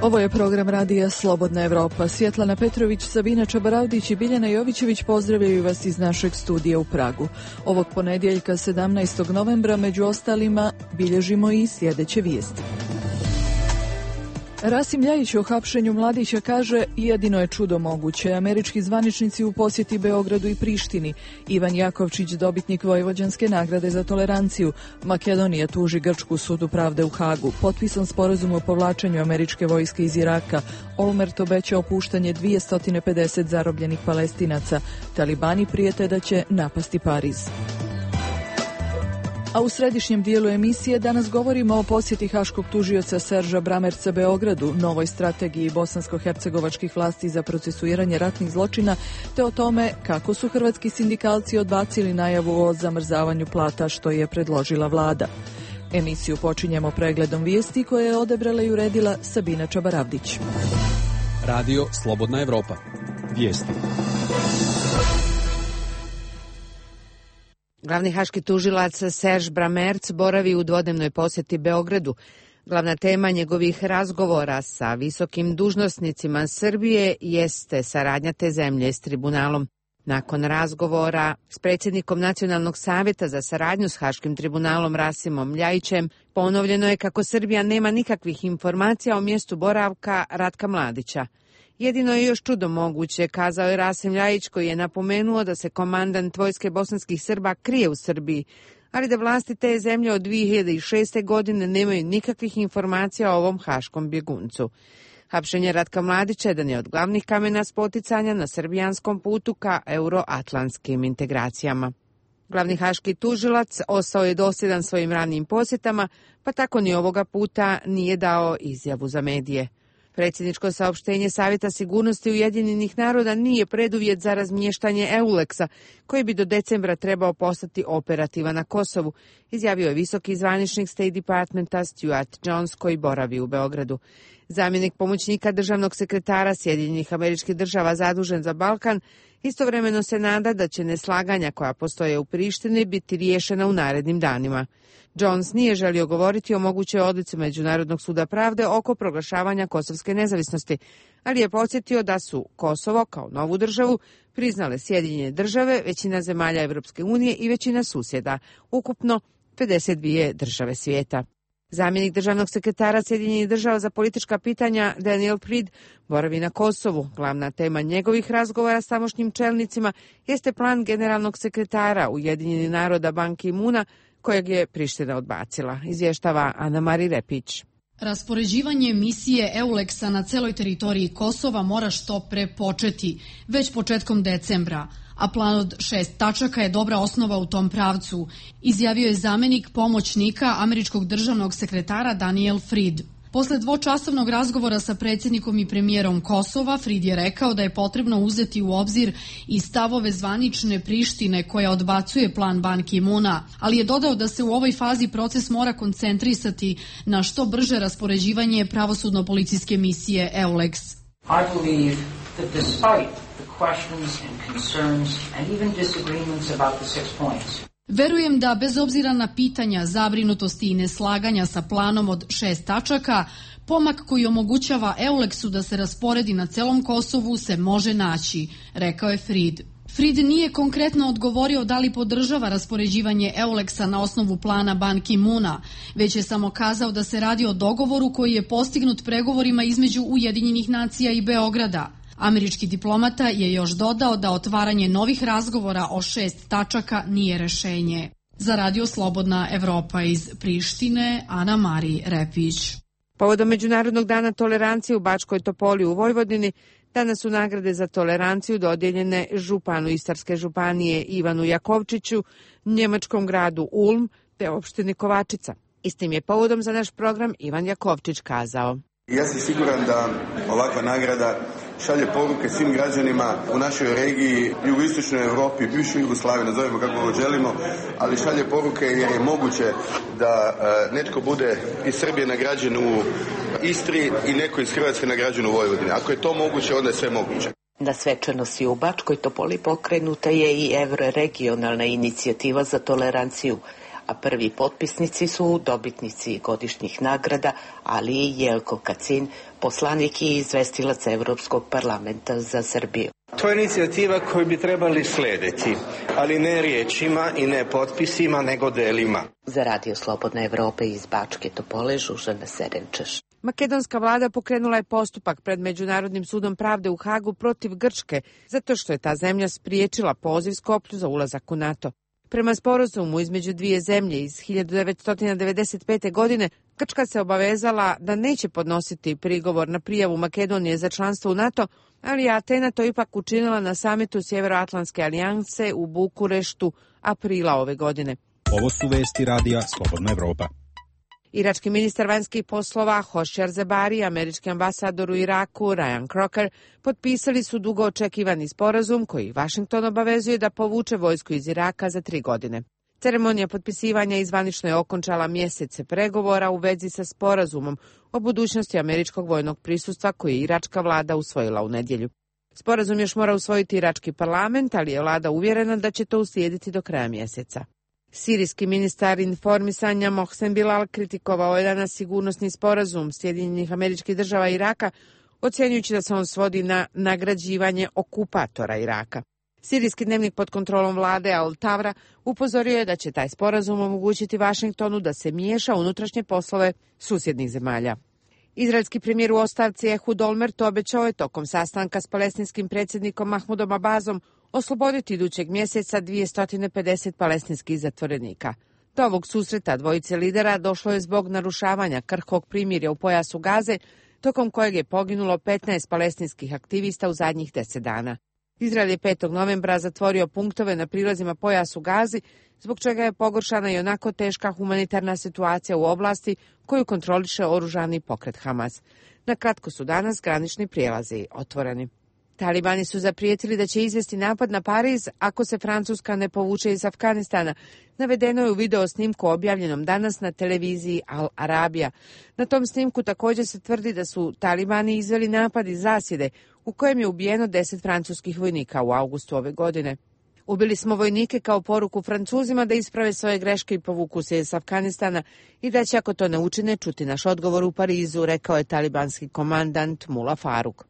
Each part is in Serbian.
Ovo je program radija Slobodna Evropa. Svjetlana Petrović, Sabina Čabaravdić i Biljana Jovićević pozdravljaju vas iz našeg studija u Pragu. Ovog ponedjeljka 17. novembra među ostalima bilježimo i sljedeće vijesti. Rasim Ljajić o hapšenju mladića kaže: jedino je čudo moguće. Američki zvaničnici u posjeti Beogradu i Prištini. Ivan Jakovčić, dobitnik Vojvođanske nagrade za toleranciju. Makedonija tuži Grčku sudu pravde u Hagu. Potpisan sporazum o povlačenju američke vojske iz Iraka. Olmert obeća opuštanje 250 zarobljenih Palestinaca. Talibani prijete da će napasti Pariz. A u središnjem dijelu emisije danas govorimo o posjeti haškog tužioca Serža Bramerca Beogradu, novoj strategiji bosansko-hercegovačkih vlasti za procesuiranje ratnih zločina, te o tome kako su hrvatski sindikalci odbacili najavu o zamrzavanju plata što je predložila vlada. Emisiju počinjemo pregledom vijesti koje je odabrala i uredila Sabina Čabaravdić. Radio Slobodna Evropa. Vijesti. Glavni haški tužilac Serž Bramerc boravi u dvodnevnoj posjeti Beogradu. Glavna tema njegovih razgovora sa visokim dužnosnicima Srbije jeste saradnja te zemlje s tribunalom. Nakon razgovora s predsjednikom Nacionalnog savjeta za saradnju s Haškim tribunalom Rasimom Ljajićem, ponovljeno je kako Srbija nema nikakvih informacija o mjestu boravka Ratka Mladića. Jedino je još čudo moguće, kazao je Rasim Ljajić, koji je napomenuo da se komandant vojske bosanskih Srba krije u Srbiji, ali da vlasti te zemlje od 2006. godine nemaju nikakvih informacija o ovom haškom bjeguncu. Hapšenje Ratka Mladića jedan je od glavnih kamena spoticanja na srbijanskom putu ka euroatlantskim integracijama. Glavni haški tužilac ostao je dosljedan svojim ranijim posjetama, pa tako ni ovoga puta nije dao izjavu za medije. Predsjedničko saopštenje Savjeta sigurnosti Ujedinjenih naroda nije preduvjet za razmještanje EULEX-a, koji bi do decembra trebao postati operativan na Kosovu, izjavio je visoki zvaničnik State Departmenta Stuart Jones, koji boravi u Beogradu. Zamjenik pomoćnika državnog sekretara Sjedinjenih Američkih Država zadužen za Balkan istovremeno se nada da će neslaganja koja postoje u Prištini biti riješena u narednim danima. Jones nije želio govoriti o mogućoj odluci Međunarodnog suda pravde oko proglašavanja kosovske nezavisnosti, ali je podsjetio da su Kosovo kao novu državu priznale Sjedinjene Države, većina zemalja Evropske unije i većina susjeda, ukupno 52 države svijeta. Zamjenik državnog sekretara Sjedinjenih Država za politička pitanja Daniel Fried boravi na Kosovu. Glavna tema njegovih razgovora s tamošnjim čelnicima jeste plan generalnog sekretara Ujedinjenih naroda Ban Ki-moona, kojeg je Priština odbacila, izvještava Ana-Mari Repić. Raspoređivanje misije EULEX-a na celoj teritoriji Kosova mora što pre početi, već početkom decembra, a plan od 6 tačaka je dobra osnova u tom pravcu, izjavio je zamjenik pomoćnika američkog državnog sekretara Daniel Fried. Posle dvočasovnog razgovora sa predsjednikom i premijerom Kosova, Fried je rekao da je potrebno uzeti u obzir i stavove zvanične Prištine koja odbacuje plan Ban Ki-moona, ali je dodao da se u ovoj fazi proces mora koncentrisati na što brže raspoređivanje pravosudno-policijske misije EULEX. I believe that despite the questions and concerns and even disagreements about the 6 points, verujem da bez obzira na pitanja, zabrinutosti i neslaganja sa planom od 6 tačaka, pomak koji omogućava EULEX-u da se rasporedi na celom Kosovu se može naći, rekao je Fried. Fried nije konkretno odgovorio da li podržava raspoređivanje EULEX-a na osnovu plana Ban Ki-moona, već je samo kazao da se radi o dogovoru koji je postignut pregovorima između Ujedinjenih nacija i Beograda. Američki diplomata je još dodao da otvaranje novih razgovora o 6 tačaka nije rešenje. Za Radio Slobodna Evropa iz Prištine, Ana-Mari Repić. Povodom Međunarodnog dana tolerancije u Bačkoj Topoli u Vojvodini, danas su nagrade za toleranciju dodijeljene županu Istarske županije Ivanu Jakovčiću, njemačkom gradu Ulm te opštini Kovačica. Istim je povodom za naš program Ivan Jakovčić kazao: ja sam siguran da ovakva nagrada šalje poruke svim građanima u našoj regiji, jugoistočnoj Europi, bivšoj Jugoslaviji, nazovemo kako god želimo, ali šalje poruke jer je moguće da netko bude iz Srbije nagrađen u Istri i neko iz Hrvatske nagrađen u Vojvodini. Ako je to moguće, onda je sve moguće. Na svečanosti u Bačkoj Topoli pokrenuta je i euroregionalna inicijativa za toleranciju, a prvi potpisnici su dobitnici godišnjih nagrada, ali i Jelko Kacin, poslanik i izvestilac Evropskog parlamenta za Srbiju. To je inicijativa koju bi trebali slediti, ali ne riječima i ne potpisima, nego delima. Za Radio Slobodna Evropa iz Bačke Topole, Žužana Serenčeš. Makedonska vlada pokrenula je postupak pred Međunarodnim sudom pravde u Hagu protiv Grčke, zato što je ta zemlja spriječila poziv Skoplju za ulazak u NATO. Prema sporazumu između dvije zemlje iz 1995. godine, Grčka se obavezala da neće podnositi prigovor na prijavu Makedonije za članstvo u NATO, ali je Atena to ipak učinila na samitu Sjeveroatlantske alijanse u Bukureštu aprila ove godine. Ovo su vesti Radija Slobodna Evropa. Irački ministar vanjskih poslova Hošjar Zebari i američki ambasador u Iraku Ryan Crocker potpisali su dugo očekivani sporazum koji Vašington obavezuje da povuče vojsku iz Iraka za 3 godine. Ceremonija potpisivanja zvanično je okončala mjesece pregovora u vezi sa sporazumom o budućnosti američkog vojnog prisustva koji je iračka vlada usvojila u nedjelju. Sporazum još mora usvojiti irački parlament, ali je vlada uvjerena da će to uslijediti do kraja mjeseca. Sirijski ministar informisanja Mohsen Bilal kritikovao je danas sigurnosni sporazum Sjedinjenih Američkih Država i Iraka, ocjenjujući da se on svodi na nagrađivanje okupatora Iraka. Sirijski dnevnik pod kontrolom vlade Al-Tavra upozorio je da će taj sporazum omogućiti Vašingtonu da se miješa u unutrašnje poslove susjednih zemalja. Izraelski premijer u ostavci Ehud Olmert obećao je tokom sastanka s palestinskim predsjednikom Mahmudom Abbazom osloboditi idućeg mjeseca 250 palestinskih zatvorenika. Do ovog susreta dvojice lidera došlo je zbog narušavanja krhkog primirja u pojasu Gaze, tokom kojeg je poginulo 15 palestinskih aktivista u zadnjih 10 dana. Izrael je 5. novembra zatvorio punktove na prilazima pojasu Gazi, zbog čega je pogoršana i onako teška humanitarna situacija u oblasti koju kontroliše oružani pokret Hamas. Na kratko su danas granični prijelazi otvoreni. Talibani su zaprijetili da će izvesti napad na Pariz ako se Francuska ne povuče iz Afganistana. Navedeno je u video snimku objavljenom danas na televiziji Al Arabija. Na tom snimku također se tvrdi da su Talibani izveli napad iz zasjede u kojem je ubijeno 10 francuskih vojnika u augustu ove godine. Ubili smo vojnike kao poruku Francuzima da isprave svoje greške i povuku se iz Afganistana i da će ako to ne učine čuti naš odgovor u Parizu, rekao je talibanski komandant Mula Faruk.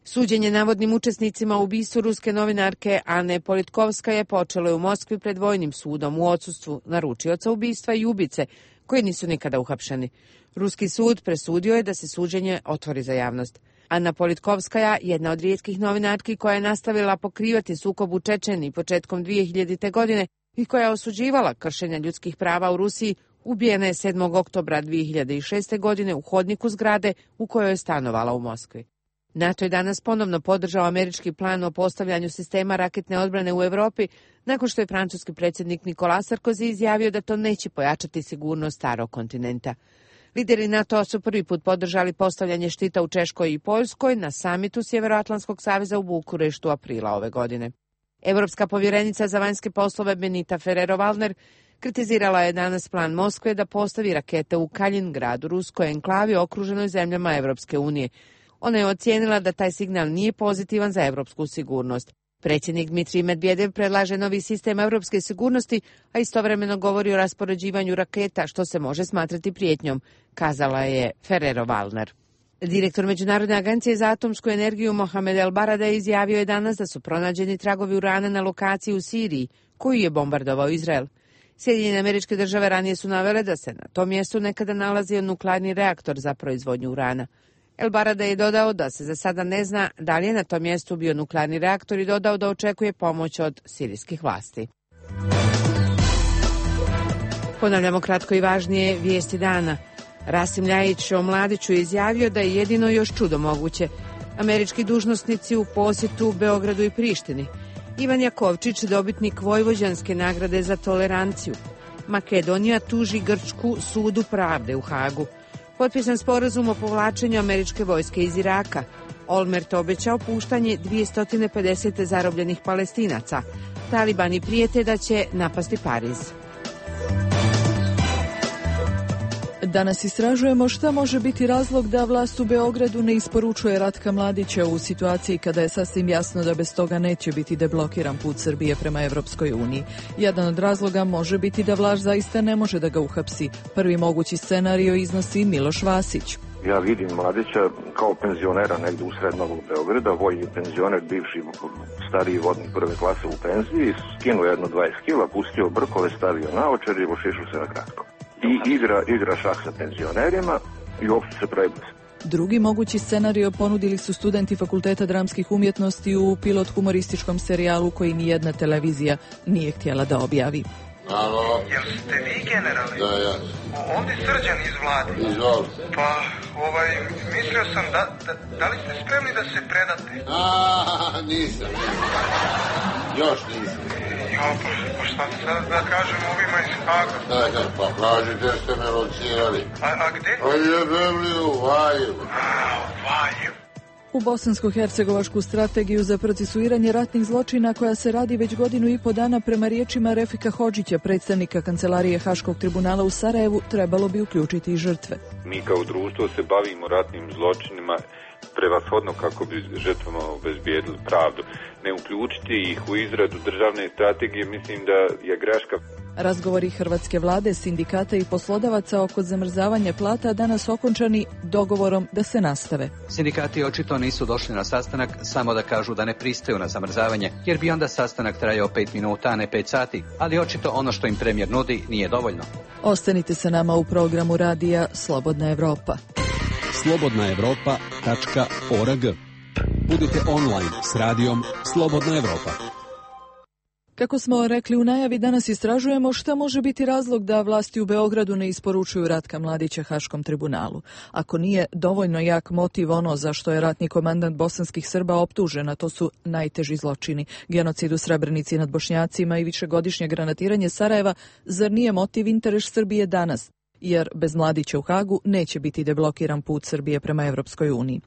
Suđenje navodnim učesnicima u ubistvu ruske novinarke Ane Politkovskaje počelo je u Moskvi pred vojnim sudom u odsustvu naručioca ubistva i ubice, koji nisu nikada uhapšeni. Ruski sud presudio je da se suđenje otvori za javnost. Ana Politkovskaja, jedna od rijetkih novinarki koja je nastavila pokrivati sukob u Čečeniji početkom 2000. godine i koja je osuđivala kršenja ljudskih prava u Rusiji, ubijena je 7. oktobra 2006. godine u hodniku zgrade u kojoj je stanovala u Moskvi. NATO je danas ponovno podržao američki plan o postavljanju sistema raketne odbrane u Europi, nakon što je francuski predsjednik Nicolas Sarkozy izjavio da to neće pojačati sigurnost starog kontinenta. Lideri NATO su prvi put podržali postavljanje štita u Češkoj i Poljskoj na samitu Sjeveroatlantskog saveza u Bukureštu aprila ove godine. Evropska povjerenica za vanjske poslove Benita Ferrero-Waldner kritizirala je danas plan Moskve da postavi rakete u Kalingradu, ruskoj enklavi okruženoj zemljama Evropske unije. Ona je ocijenila da taj signal nije pozitivan za evropsku sigurnost. Predsjednik Dmitrij Medvedev predlaže novi sistem europske sigurnosti, a istovremeno govori o raspoređivanju raketa, što se može smatrati prijetnjom, kazala je Ferrero-Waldner. Direktor Međunarodne agencije za atomsku energiju Mohamed El Baradei izjavio je danas da su pronađeni tragovi urana na lokaciji u Siriji, koju je bombardovao Izrael. Sjedinjene Američke Države ranije su navele da se na tom mjestu nekada nalazio nuklearni reaktor za proizvodnju urana. El Baradei je dodao da se za sada ne zna da li je na tom mjestu bio nuklearni reaktor i dodao da očekuje pomoć od sirijskih vlasti. Ponavljamo kratko i važnije vijesti dana. Rasim Ljajić o Mladiću je izjavio da je jedino još čudo moguće. Američki dužnosnici u posjetu Beogradu i Prištini. Ivan Jakovčić, dobitnik Vojvođanske nagrade za toleranciju. Makedonija tuži Grčku sudu pravde u Hagu. Potpisan sporazum o povlačenju američke vojske iz Iraka. Olmert obećao puštanje 250 zarobljenih Palestinaca. Talibani prijete da će napasti Pariz. Danas istražujemo šta može biti razlog da vlast u Beogradu ne isporučuje Ratka Mladića u situaciji kada je sasvim jasno da bez toga neće biti deblokiran put Srbije prema Evropskoj uniji. Jedan od razloga može biti da vlast zaista ne može da ga uhapsi. Prvi mogući scenario iznosi Miloš Vasić. Ja vidim Mladića kao penzionera negde u sred Novog Beograda, vojni penzioner, bivši stariji vodnik prve klase u penziji, skinuo jedno 20 kila, pustio brkove, stavio naočar i ošišao se na kratko. I igra šah sa penzionerima i uopšte se prebrze. Drugi mogući scenario ponudili su studenti Fakulteta dramskih umjetnosti u pilot humorističkom serijalu koji nijedna televizija nije htjela da objavi. Alo? Jel ste vi generalni? Da, ja. Ovdje Srđan iz Vlade. Izvoli. Pa, mislio sam da li ste spremni da se predate? Nisam. Još nisam. Pa šta sad da kažem ovima iz Haga? Da, pa kažete ste me locirali. A gde? A jebem li u Valjevu? U Valjevu. U bosansko-hercegovačku strategiju za procesuiranje ratnih zločina koja se radi već 1,5 godinu dana prema riječima Refika Hodžića, predstavnika Kancelarije Haškog tribunala u Sarajevu, trebalo bi uključiti i žrtve. Mi kao društvo se bavimo ratnim zločinima prevashodno kako bi žrtvama obezbijedili pravdu. Ne uključiti ih u izradu državne strategije mislim da je greška. Razgovori hrvatske vlade, sindikata i poslodavaca oko zamrzavanja plata danas okončani dogovorom da se nastave. Sindikati očito nisu došli na sastanak samo da kažu da ne pristaju na zamrzavanje, jer bi onda sastanak trajao 5 minuta, a ne 5 sati, ali očito ono što im premijer nudi nije dovoljno. Ostanite sa nama u programu radija Slobodna Evropa. slobodnaevropa.org. Budite online s radijom Slobodna Evropa. Kako smo rekli u najavi, danas istražujemo šta može biti razlog da vlasti u Beogradu ne isporučuju Ratka Mladića Haškom tribunalu. Ako nije dovoljno jak motiv ono za što je ratni komandant bosanskih Srba optužen, a to su najteži zločini, genocid u Srebrenici nad Bošnjacima i višegodišnje granatiranje Sarajeva, zar nije motiv interes Srbije danas? Jer bez Mladića u Hagu neće biti deblokiran put Srbije prema Evropskoj uniji.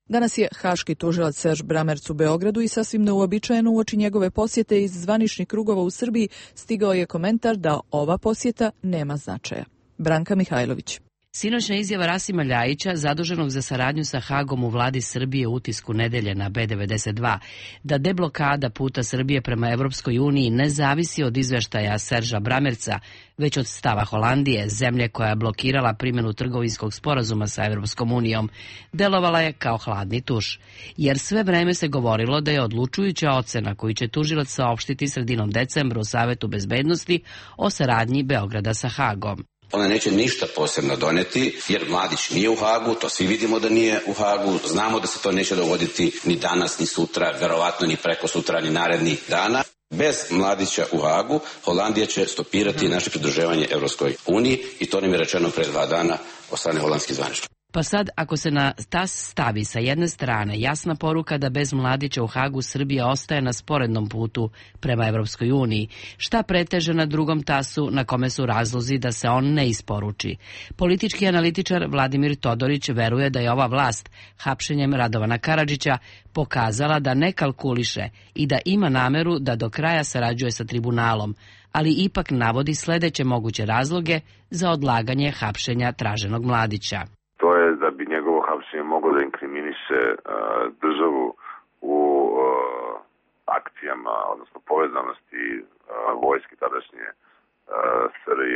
Danas je haški tužilac Serž Bramerc u Beogradu i sasvim neuobičajeno uoči njegove posjete iz zvaničnih krugova u Srbiji stigao je komentar da ova posjeta nema značaja. Branka Mihajlović. Sinoćna izjava Rasima Ljajića, zaduženog za saradnju sa Hagom u vladi Srbije u Utisku nedelje na B92, da deblokada puta Srbije prema Evropskoj uniji ne zavisi od izveštaja Serža Bramerca, već od stava Holandije, zemlje koja je blokirala primjenu trgovinskog sporazuma sa Evropskom unijom, delovala je kao hladni tuš. Jer sve vreme se govorilo da je odlučujuća ocena koju će tužilac saopštiti sredinom decembra u Savetu bezbednosti o saradnji Beograda sa Hagom. Ona neće ništa posebno doneti, jer Mladić nije u Hagu, to svi vidimo da nije u Hagu, znamo da se to neće dogoditi ni danas, ni sutra, verovatno ni preko sutra, ni narednih dana. Bez Mladića u Hagu, Holandija će stopirati naše pridruživanje Evropskoj uniji i to nam je rečeno pre 2 dana od strane holandskih zvaničnika. Pa sad, ako se na tas stavi sa jedne strane jasna poruka da bez Mladića u Hagu Srbija ostaje na sporednom putu prema Evropskoj uniji, šta preteže na drugom tasu na kome su razlozi da se on ne isporuči? Politički analitičar Vladimir Todorić veruje da je ova vlast hapšenjem Radovana Karadžića pokazala da ne kalkuliše i da ima nameru da do kraja sarađuje sa tribunalom, ali ipak navodi sledeće moguće razloge za odlaganje hapšenja traženog Mladića. To je da bi njegovo hapšenje moglo da inkriminiše državu u akcijama, odnosno povezanosti vojske tadašnje SRJ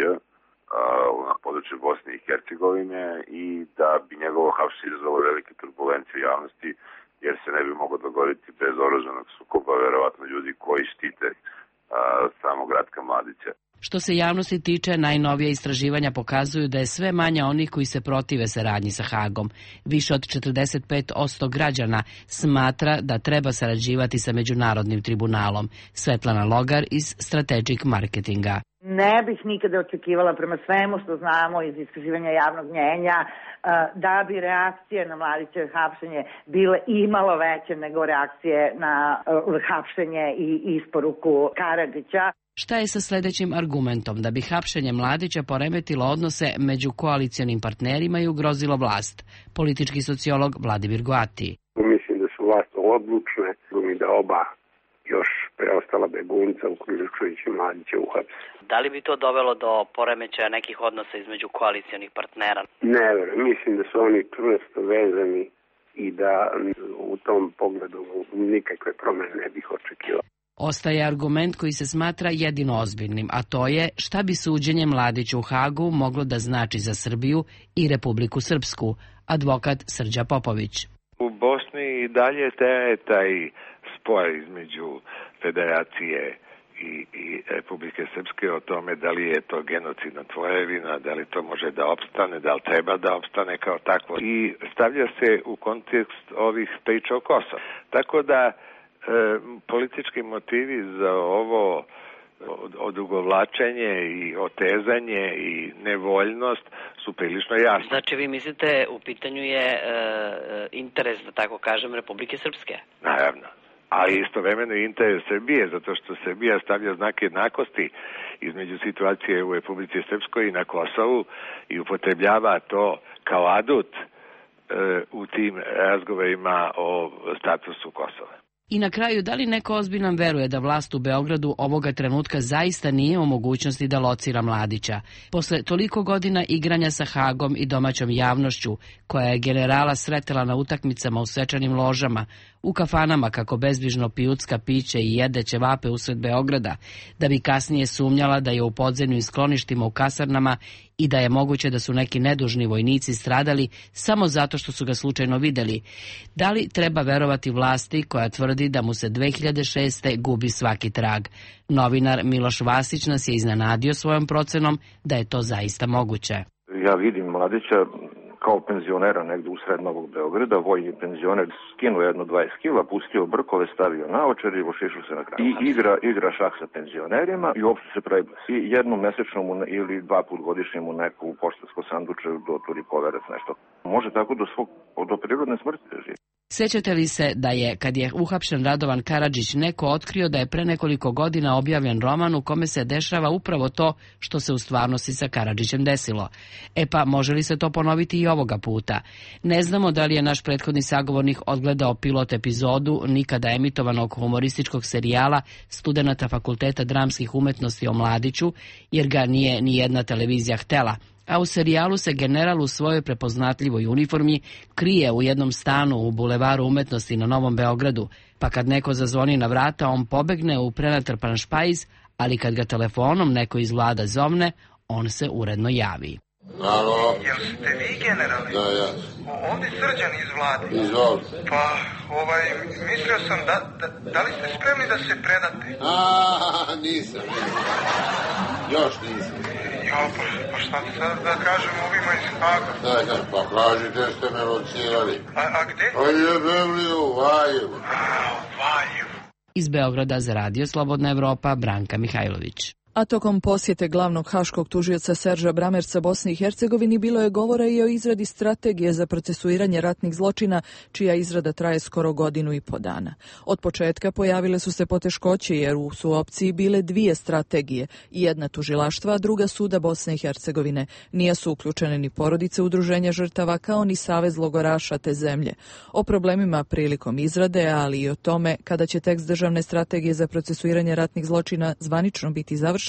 na području Bosne i Hercegovine i da bi njegovo hapšenje izazvalo velike turbulencije u javnosti, jer se ne bi moglo dogoditi bez oružanog sukoba, verovatno ljudi koji štite samog Ratka Mladića. Što se javnosti tiče, najnovija istraživanja pokazuju da je sve manje onih koji se protive saradnji sa Hagom. Više od 45% građana smatra da treba sarađivati sa Međunarodnim tribunalom. Svetlana Logar iz Strategic Marketinga. Ne bih nikada očekivala prema svemu što znamo iz istraživanja javnog mnjenja da bi reakcije na Mladićevo hapšenje bile imalo veće nego reakcije na hapšenje i isporuku Karadžića. Šta je sa sledećim argumentom? Da bi hapšenje Mladića poremetilo odnose među koalicionim partnerima i ugrozilo vlast. Politički sociolog Vladimir Goati. Mislim da su vlast odlučne da oba još preostala begunca, uključujući Mladića, uhapse. Da li bi to dovelo do poremećaja nekih odnosa između koalicionih partnera? Ne verujem, mislim da su oni čvrsto vezani i da u tom pogledu nikakve promene ne bih očekivao. Ostaje argument koji se smatra jedino ozbiljnim, a to je šta bi suđenje Mladiću u Hagu moglo da znači za Srbiju i Republiku Srpsku, advokat Srđa Popović. U Bosni i dalje traje taj spor između Federacije i Republike Srpske o tome da li je to genocidna tvorevina, da li to može da opstane, da li treba da opstane kao takvo. I stavlja se u kontekst ovih priča o Kosovu. Tako da politički motivi za ovo odugovlačenje i otezanje i nevoljnost su prilično jasni. Znači vi mislite u pitanju je interes, da tako kažem, Republike Srpske? Naravno. Ali istovremeno i interes Srbije, zato što Srbija stavlja znak jednakosti između situacije u Republici Srpskoj i na Kosovu i upotrebljava to kao adut u tim razgovorima o statusu Kosova. I na kraju, da li neko ozbiljan veruje da vlast u Beogradu ovoga trenutka zaista nije u mogućnosti da locira Mladića? Posle toliko godina igranja sa Hagom i domaćom javnošću, koja je generala sretela na utakmicama u svečanim ložama, u kafanama kako bezbrižno pijucka piće i jede ćevape usred Beograda, da bi kasnije sumnjala da je u podzemlju i skloništima u kasarnama i da je moguće da su neki nedužni vojnici stradali samo zato što su ga slučajno videli. Da li treba verovati vlasti koja tvrdi da mu se 2006. gubi svaki trag? Novinar Miloš Vasić nas je iznenadio svojom procenom da je to zaista moguće. Ja vidim Mladića kao penzionera negde u sred Novog Beograda, vojni penzioner, skinuo jedno 20 kila, pustio brkove, stavio naočar i ošišao se na kraju. I igra šah sa penzionerima i uopšte se pravi. I jednom mesečno mu ili 2 put godišnje mu neku poštansko sanduče doturi poverac nešto. Može tako do prirodne smrti da živi. Sjećate li se da je, kad je uhapšen Radovan Karadžić, neko otkrio da je pre nekoliko godina objavljen roman u kome se dešava upravo to što se u stvarnosti sa Karadžićem desilo? E pa, može li se to ponoviti i ovoga puta? Ne znamo da li je naš prethodni sagovornik odgledao pilot epizodu nikada emitovanog humorističkog serijala studenata Fakulteta dramskih umetnosti o Mladiću, jer ga nije ni jedna televizija htela. A u serijalu se general u svojoj prepoznatljivoj uniformi krije u jednom stanu u Bulevaru umetnosti na Novom Beogradu, pa kad neko zazvoni na vrata, on pobegne u prenatrpan špajz, ali kad ga telefonom neko iz vlada zovne, on se uredno javi. Alo? Jel ste vi generali? Da, ja. Ovdje Srđan iz vlade. Izvoli. Pa, mislio sam da li ste spremni da se predate? Nisam. Još nisam. Pa šta sad da kažem ovima iz Haga? Pa kažite ste me locirali. A gde? Pa jebeli u Valjevu. U Valjevu. Iz Beograda za Radio Slobodna Evropa, Branka Mihajlović. A tokom posjete glavnog haškog tužioca Serža Bramerca Bosni i Hercegovini bilo je govora i o izradi strategije za procesuiranje ratnih zločina, čija izrada traje skoro 1.5 godina. Od početka pojavile su se poteškoće jer su u opciji bile 2 strategije, jedna tužilaštva, a druga suda Bosne i Hercegovine. Nije su uključene ni porodice udruženja žrtava kao ni savez logoraša te zemlje. O problemima prilikom izrade, ali i o tome kada će tekst državne strategije za procesuiranje ratnih zločina zvanično biti završen,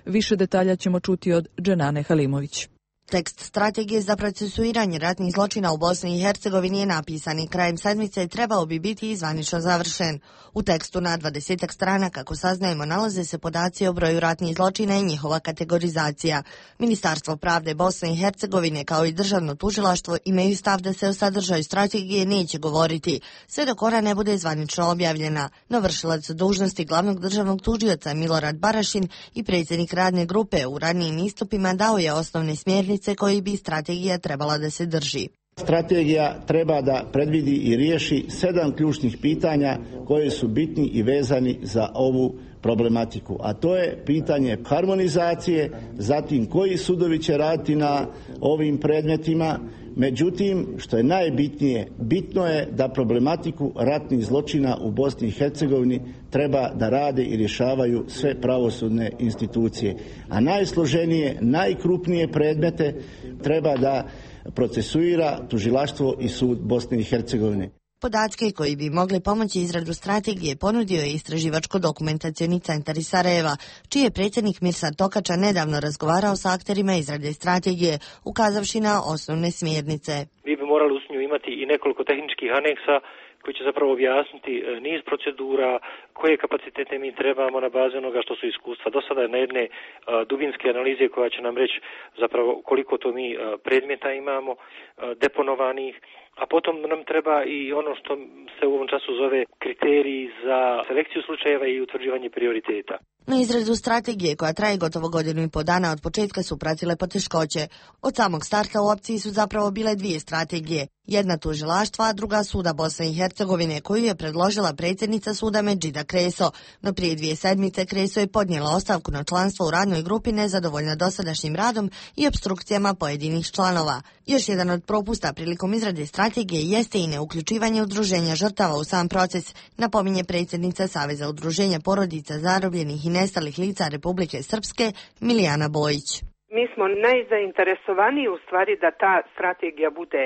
više detalja ćemo čuti od Dženane Halimović. Tekst strategije za procesuiranje ratnih zločina u Bosni i Hercegovini je napisan i krajem sedmice trebao bi biti zvanično završen. U tekstu na 20 strana, kako saznajemo, nalaze se podaci o broju ratnih zločina i njihova kategorizacija. Ministarstvo pravde Bosne i Hercegovine kao i državno tužilaštvo imaju stav da se o sadržaju strategije neće govoriti, sve dok ona ne bude zvanično objavljena. No vršilac dužnosti glavnog državnog tužioca Milorad Barašin i predsjednik radne grupe u ranijim istupima dao je osnovne smjernice koji bi strategija trebala da se drži. Strategija treba da predvidi i riješi 7 ključnih pitanja koje su bitni i vezani za ovu problematiku, a to je pitanje harmonizacije, zatim koji sudovi će raditi na ovim predmetima. Međutim, što je najbitnije, bitno je da problematiku ratnih zločina u Bosni i Hercegovini treba da rade i rješavaju sve pravosudne institucije. A najsloženije, najkrupnije predmete treba da procesuira tužilaštvo i sud Bosne i Hercegovine. Podatke koji bi mogli pomoći izradu strategije ponudio je Istraživačko-dokumentacioni centar iz Sarajeva, čiji je predsjednik Mirsad Tokača nedavno razgovarao sa akterima izrade strategije, ukazavši na osnovne smjernice. Mi bi morali uz nju imati i nekoliko tehničkih aneksa koji će zapravo objasniti niz procedura, koje kapacitete mi trebamo na bazi onoga što su iskustva do sada, na jedne dubinske analize koja će nam reći zapravo koliko to mi predmeta imamo deponovanih, a potom nam treba i ono što se u ovom času zove kriteriji za selekciju slučajeva i utvrđivanje prioriteta. Na izradu strategije, koja traje gotovo godinu i po dana, od početka su pratile poteškoće. Od samog starta u opciji su zapravo bile dvije strategije. Jedna tužilaštva, a druga suda Bosne i Hercegovine, koju je predložila predsjednica suda Medžida Kreso. No prije 2 sedmice Kreso je podnijela ostavku na članstvo u radnoj grupi, nezadovoljna dosadašnjim radom i opstrukcijama pojedinih članova. Još jedan od propusta prilikom izrade strategije jeste i neuključivanje udruženja žrtava u sam proces, napominje predsjednica Saveza udruženja porodica zarobljenih i nestalih lica Republike Srpske Milijana Bojić. Mi smo najzainteresovaniji u stvari da ta strategija bude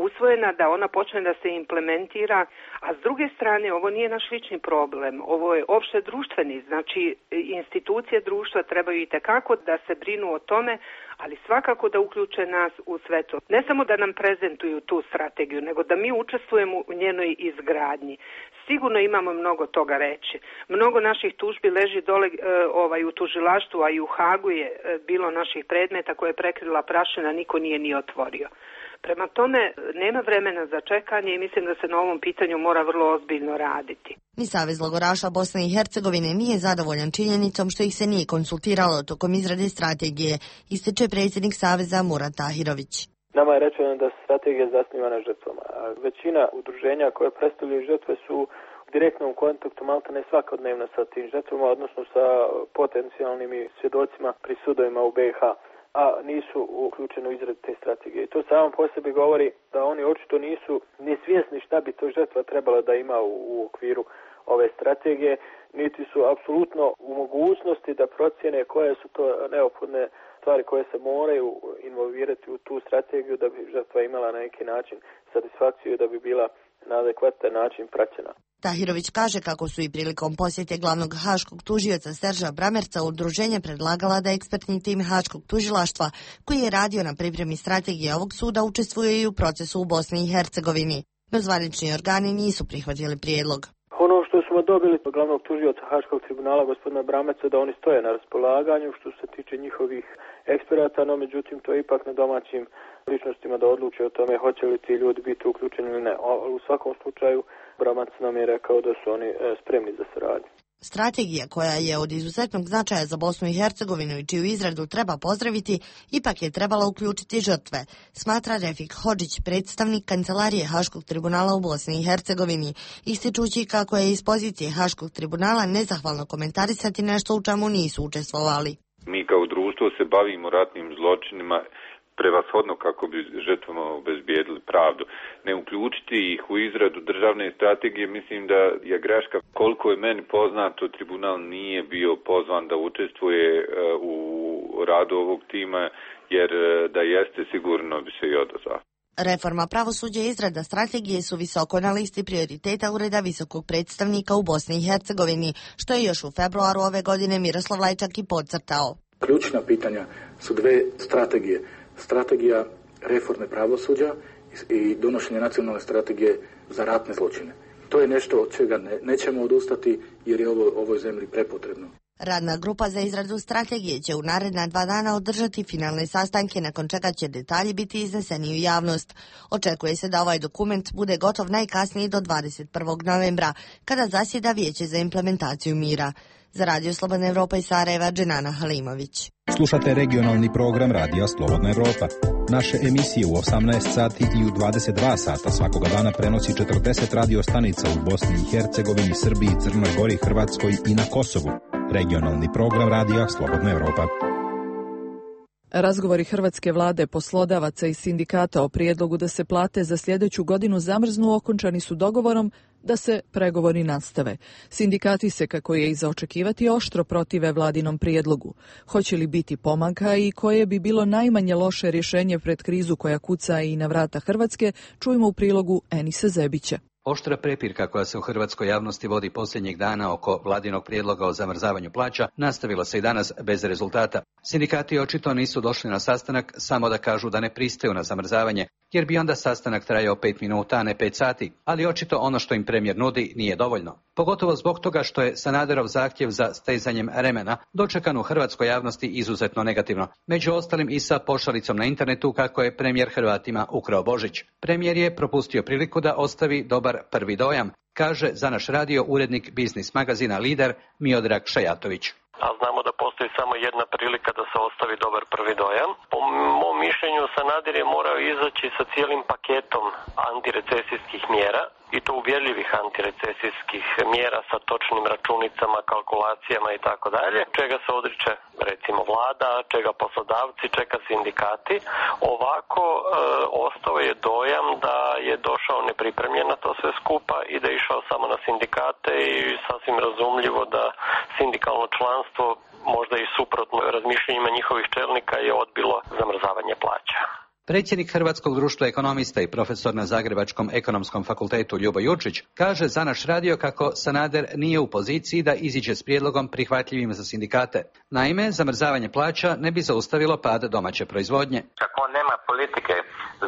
usvojena, da ona počne da se implementira, a s druge strane ovo nije naš lični problem, ovo je opšte društveni, znači institucije društva trebaju itekako da se brinu o tome, ali svakako da uključe nas u sve to. Ne samo da nam prezentuju tu strategiju, nego da mi učestvujemo u njenoj izgradnji. Sigurno imamo mnogo toga reći. Mnogo naših tužbi leži dole u tužilaštvu, a i u Hagu je bilo naših predmeta koje je prekrila prašina, niko nije ni otvorio. Prema tome, nema vremena za čekanje i mislim da se na ovom pitanju mora vrlo ozbiljno raditi. Ni Savez logoraša Bosne i Hercegovine nije zadovoljan činjenicom što ih se nije konsultiralo tokom izrade strategije, ističe predsjednik Saveza Murat Tahirović. Nama je rečeno da se strategija zasniva na žrtvama, a većina udruženja koje predstavljaju žrtve su u direktnom kontaktu maltene svakodnevno sa tim žrtvama, odnosno sa potencijalnim svjedocima pri sudovima u BiH, a nisu uključeni u izradu te strategije. I to samo po sebi govori da oni očito nisu ni svjesni šta bi to žrtva trebala da ima u okviru ove strategije, niti su apsolutno u mogućnosti da procjene koje su to neophodne stvari koje se moraju involvirati u tu strategiju da bi žrtva imala na neki način satisfakciju i da bi bila na adekvatan način praćena. Tahirović kaže kako su i prilikom posjete glavnog haškog tužioca Serža Bramerca udruženje predlagala da ekspertni tim haškog tužilaštva, koji je radio na pripremi strategije ovog suda, učestvuje i u procesu u Bosni i Hercegovini. No zvanični organi nisu prihvatili prijedlog. Ono što smo dobili od glavnog tužioca Haškog tribunala gospodina Bramerca da oni stoje na raspolaganju što se tiče njihovih eksperata, no međutim to je ipak na domaćim ličnostima da odluče o tome hoće li ti ljudi biti uključeni ili ne. U svakom slučaju Bramac nam je rekao da su oni spremni za saradnju. Strategija, koja je od izuzetnog značaja za Bosnu i Hercegovinu i čiju izradu treba pozdraviti, ipak je trebala uključiti žrtve, smatra Refik Hodžić, predstavnik Kancelarije Haškog tribunala u Bosni i Hercegovini, ističući kako je iz pozicije Haškog tribunala nezahvalno komentarisati nešto u čemu nisu učestvovali. Mi kao društvo se bavimo ratnim zločinima prevashodno kako bi žrtvama obezbijedili pravdu. Ne uključiti ih u izradu državne strategije, mislim da je greška. Koliko je meni poznato, tribunal nije bio pozvan da učestvuje u radu ovog tima, jer da jeste sigurno bi se i odazvao. Reforma pravosuđa i izrada strategije su visoko na listi prioriteta Ureda visokog predstavnika u Bosni i Hercegovini, što je još u februaru ove godine Miroslav Lajčak i podcrtao. Ključna pitanja su dve strategije. Strategija reforme pravosuđa i donošenje nacionalne strategije za ratne zločine. To je nešto od čega nećemo odustati jer je ovoj zemlji prepotrebno. Radna grupa za izradu strategije će u naredna 2 dana održati finalne sastanke, nakon čega će detalji biti izneseni u javnost. Očekuje se da ovaj dokument bude gotov najkasnije do 21. novembra, kada zasjeda Vijeće za implementaciju mira. Za Radio Slobodna Evropa iz Sarajeva, Dženana Halimović. Slušate regionalni program Radija Slobodna Evropa. Naše emisije u 18 sati i u 22 sata svakoga dana prenosi 40 radio stanica u Bosni i Hercegovini, Srbiji, Crnoj Gori, Hrvatskoj i na Kosovu. Regionalni program Radija Slobodna Evropa. Razgovori hrvatske vlade, poslodavaca i sindikata o prijedlogu da se plate za sljedeću godinu zamrznu okončani su dogovorom da se pregovori nastave. Sindikati se, kako je i za očekivati, oštro protive vladinom prijedlogu. Hoće li biti pomaka i koje bi bilo najmanje loše rješenje pred krizu koja kuca i na vrata Hrvatske, čujemo u prilogu Enisa Zebića. Oštra prepirka koja se u hrvatskoj javnosti vodi posljednjih dana oko vladinog prijedloga o zamrzavanju plaća nastavila se i danas bez rezultata. Sindikati očito nisu došli na sastanak samo da kažu da ne pristaju na zamrzavanje, jer bi onda sastanak trajao 5 minuta, a ne 5 sati, ali očito ono što im premijer nudi nije dovoljno. Pogotovo zbog toga što je Sanaderov zahtjev za stezanjem remena dočekan u hrvatskoj javnosti izuzetno negativno. Među ostalim i sa pošalicom na internetu kako je premijer Hrvatima ukrao Božić. Premijer je propustio priliku da ostavi dobar prvi dojam, kaže za naš radio urednik biznis magazina Lider Miodrag Šajatović. A znamo da postoji samo jedna prilika da se ostavi dobar prvi dojam. Po mom mišljenju Sanader je morao izaći sa cijelim paketom antirecesijskih mjera i to uvjerljivih antirecesijskih mjera sa točnim računicama, kalkulacijama i tako dalje, čega se odriče recimo vlada, čega poslodavci, čega sindikati. Ovako ostao je dojam da je došao nepripremljen na to sve skupa i da je išao samo na sindikate i sasvim razumljivo da sindikalno članstvo, možda i suprotno razmišljenjima njihovih čelnika, je odbilo zamrzavanje plaća. Predsjednik Hrvatskog društva ekonomista i profesor na Zagrebačkom ekonomskom fakultetu Ljubo Jurčić kaže za naš radio kako Sanader nije u poziciji da iziđe s prijedlogom prihvatljivim za sindikate. Naime, zamrzavanje plaća ne bi zaustavilo pad domaće proizvodnje. Kako on nema politike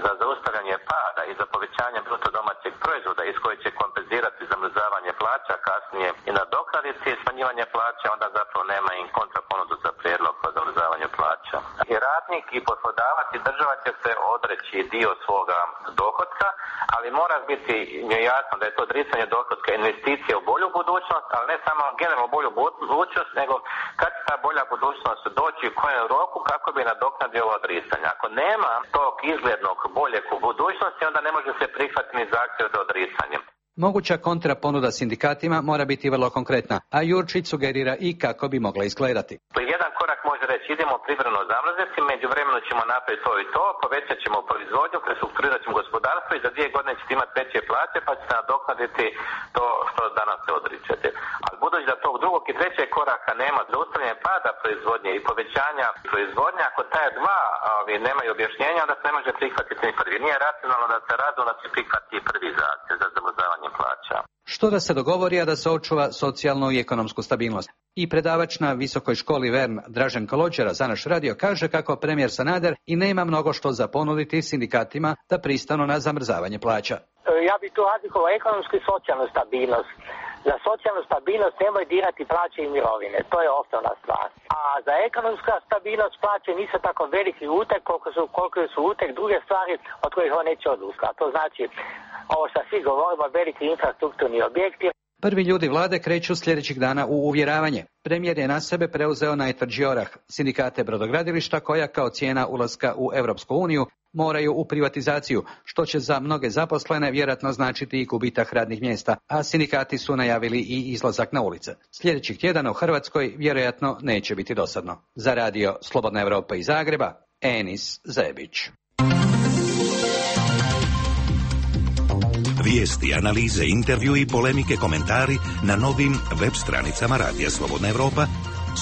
za zaustavljanje pada i za povećanje bruto domaćeg proizvoda iz koje će kompenzirati zamrzavanje plaća, kasnije i nadoknaditi smanjivanje plaća, onda zapravo nema im kontraponudu za prijedlog o zamrzavanju plaća. I radnik i poslodavac i država će se odreći dio svoga dohotka, ali mora biti jasno da je to odricanje dohotka investicija u bolju budućnost, ali ne samo generalno bolju budućnost, nego kad će ta bolja budućnost doći u kojem roku kako bi nadoknadio ovo odricanje. Ako nema tog izglednog boljeg u budućnosti, onda ne može se prihvatiti ni zahtjev za odricanje. Moguća kontraponuda sindikatima mora biti vrlo konkretna, a Jurčić sugerira i kako bi mogla izgledati. Jedan korak može reći idemo privremeno zamrzeti, međuvremeno ćemo napraviti to i to, povećat ćemo proizvodnju, prestrukturirat ćemo gospodarstvo i za 2 godine ćete imati veće plaće pa ćete nadoknaditi to što danas se odričete. Ali budući da tog drugog i trećeg koraka nema, zaustavljanje pada proizvodnje i povećanja proizvodnje, ako taj dva nemaju objašnjenja, onda se ne može prihvatiti ni prvi. Nije racionalno da se razumno se prihvati prvi zahtjev za zamrzavanje plaća. Što da se dogovori, a da se očuva socijalnu i ekonomsku stabilnost. I predavač na Visokoj školi Vern Dražen Kolođera za naš radio kaže kako premijer Sanader i nema mnogo što za ponuditi sindikatima da pristanu na zamrzavanje plaća. Ja bih tu razlikovao ekonomsku i socijalnu stabilnost. Za socijalnu stabilnost nemoj dirati plaće i mirovine, to je osnovna stvar. A za ekonomsku stabilnost plaće nisu tako veliki uteg koliko su uteg druge stvari od kojih on neće odustati. To znači, ovo što svi govorimo, veliki infrastrukturni objekti. Prvi ljudi vlade kreću sljedećih dana u uvjeravanje. Premijer je na sebe preuzeo najtvrđi orah, sindikate brodogradilišta koja kao cijena ulaska u Europsku uniju moraju u privatizaciju, što će za mnoge zaposlene vjerojatno značiti i gubitak radnih mjesta, a sindikati su najavili i izlazak na ulice. Sljedećih tjedana u Hrvatskoj vjerojatno neće biti dosadno. Za radio Slobodna Europa iz Zagreba, Enis Zebić. Vijesti, analize, intervju i polemike, komentari na novim web stranicama Radija Slobodna Europa,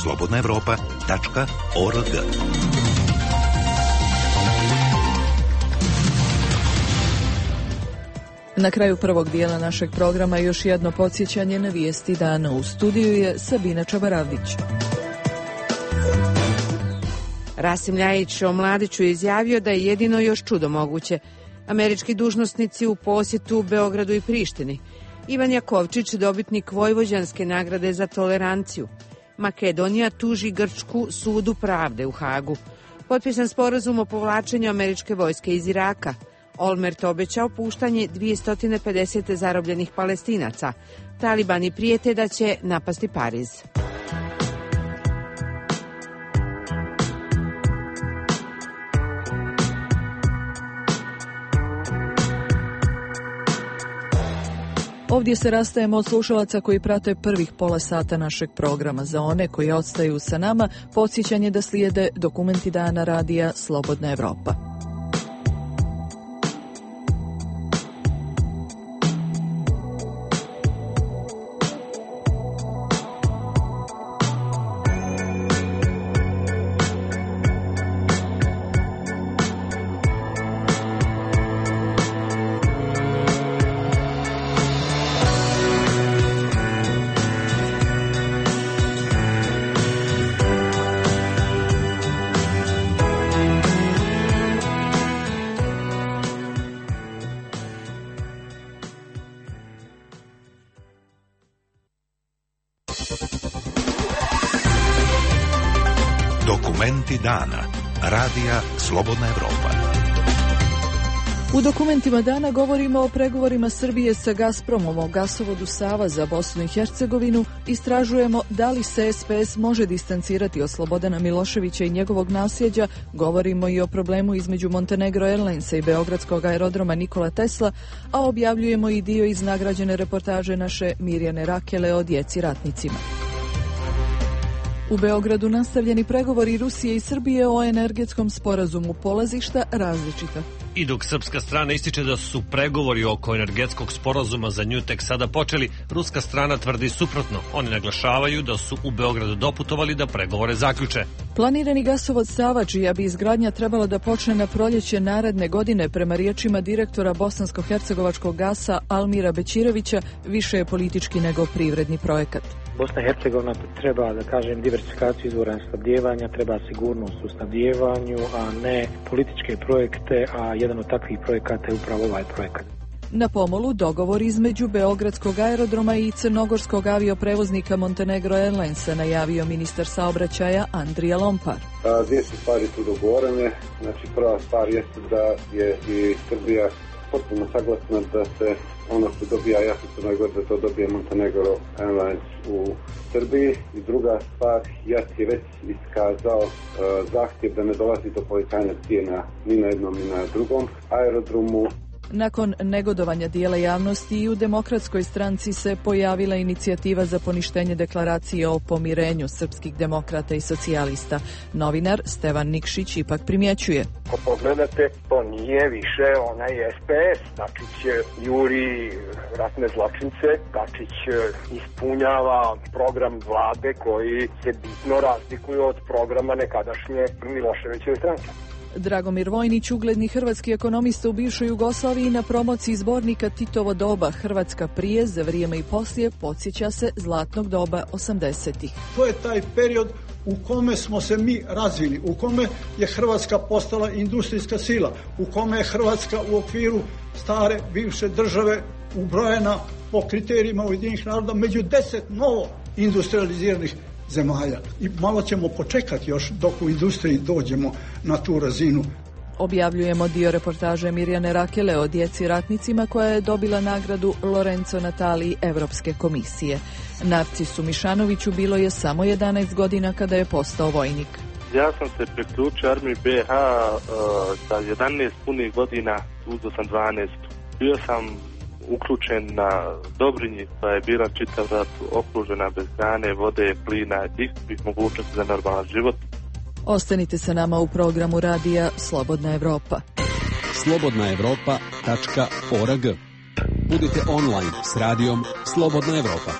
slobodnaevropa.org. Na kraju prvog dijela našeg programa još jedno podsjećanje na vijesti dana. U studiju je Sabina Čabaravdić. Rasim Ljajić o Mladiću izjavio da je jedino još čudo moguće. Američki dužnosnici u posjetu Beogradu i Prištini. Ivan Jakovčić, dobitnik Vojvođanske nagrade za toleranciju. Makedonija tuži Grčku sudu pravde u Hagu. Potpisan sporazum o povlačenju američke vojske iz Iraka. Olmert obećao puštanje 250 zarobljenih Palestinaca. Talibani prijete da će napasti Pariz. Ovdje se rastajemo od slušalaca koji prate prvih pola sata našeg programa. Za one koji ostaju sa nama, podsjećanje da slijede dokumenti dana radija Slobodna Evropa. Dokumenti dana. Radija Slobodna Evropa. U dokumentima dana govorimo o pregovorima Srbije sa Gazpromom o gasovodu Sava za Bosnu i Hercegovinu, istražujemo da li se SPS može distancirati od Slobodana Miloševića i njegovog nasljeđa, govorimo i o problemu između Montenegro Airlinesa i beogradskog aerodroma Nikola Tesla, a objavljujemo i dio iz nagrađene reportaže naše Mirjane Rakele o djeci ratnicima. U Beogradu nastavljeni pregovori Rusije i Srbije o energetskom sporazumu, polazišta različita. I dok srpska strana ističe da su pregovori oko energetskog sporazuma za nju tek sada počeli, ruska strana tvrdi suprotno. Oni naglašavaju da su u Beogradu doputovali da pregovore zaključe. Planirani gasovod Sava, čija bi izgradnja trebala da počne na proljeće naredne godine, prema riječima direktora bosansko-hercegovačkog gasa Almira Bećirevića, više je politički nego privredni projekat. Bosna i Hercegovina treba, da kažem, diversifikaciju izvora snabdijevanja, treba sigurnost u snabdijevanju, a ne političke projekte, a jedan od takvih projekata je upravo ovaj projekat. Na pomolu dogovor između Beogradskog aerodroma i crnogorskog avioprevoznika Montenegro Airlinesa, najavio ministar saobraćaja Andrija Lompar. Dvije su stvari tu dogovorene. Znači, prva stvar jeste da je i Srbija potpuno saglasna da se ono što dobija JAT u Crnoj Gori, da to dobije Montenegro Airlines u Srbiji. I druga stvar, JAT je već iskazao zahtjev da ne dolazi do povećanja cijena ni na jednom ni na drugom aerodromu. Nakon negodovanja dijela javnosti i u Demokratskoj stranci se pojavila inicijativa za poništenje deklaracije o pomirenju srpskih demokrata i socijalista. Novinar Stevan Nikšić ipak primjećuje. Ako pogledate, to nije više onaj SPS. Dačić juri ratne zločince, Dačić ispunjava program vlade koji se bitno razlikuje od programa nekadašnje Miloševićeve stranke. Dragomir Vojnić, ugledni hrvatski ekonomista u bivšoj Jugoslaviji, na promociji zbornika Titovo doba, Hrvatska prije, za vrijeme i poslije, podsjeća se zlatnog doba 80-ih. To je taj period u kome smo se mi razvili, u kome je Hrvatska postala industrijska sila, u kome je Hrvatska u okviru stare bivše države ubrojena po kriterijima Ujedinjenih naroda među 10 novo industrializiranih zemalja. I malo ćemo počekati još dok u industriji dođemo na tu razinu. Objavljujemo dio reportaže Mirjane Rakele o djeci ratnicima, koja je dobila nagradu Lorenzo Natali Evropske komisije. Narcisu Mišanoviću bilo je samo 11 godina kada je postao vojnik. Ja sam se priključio armiji BiH sa 11 punih godina, uzeo sam 12. Bio sam uključen na Dobrinji, pa je bila čitav rat, okružena bez hrane, vode, plina i svih mogućnosti za normalan život. Ostanite sa nama u programu radija Slobodna Evropa. slobodnaevropa.org. Budite online s radijom Slobodna Evropa.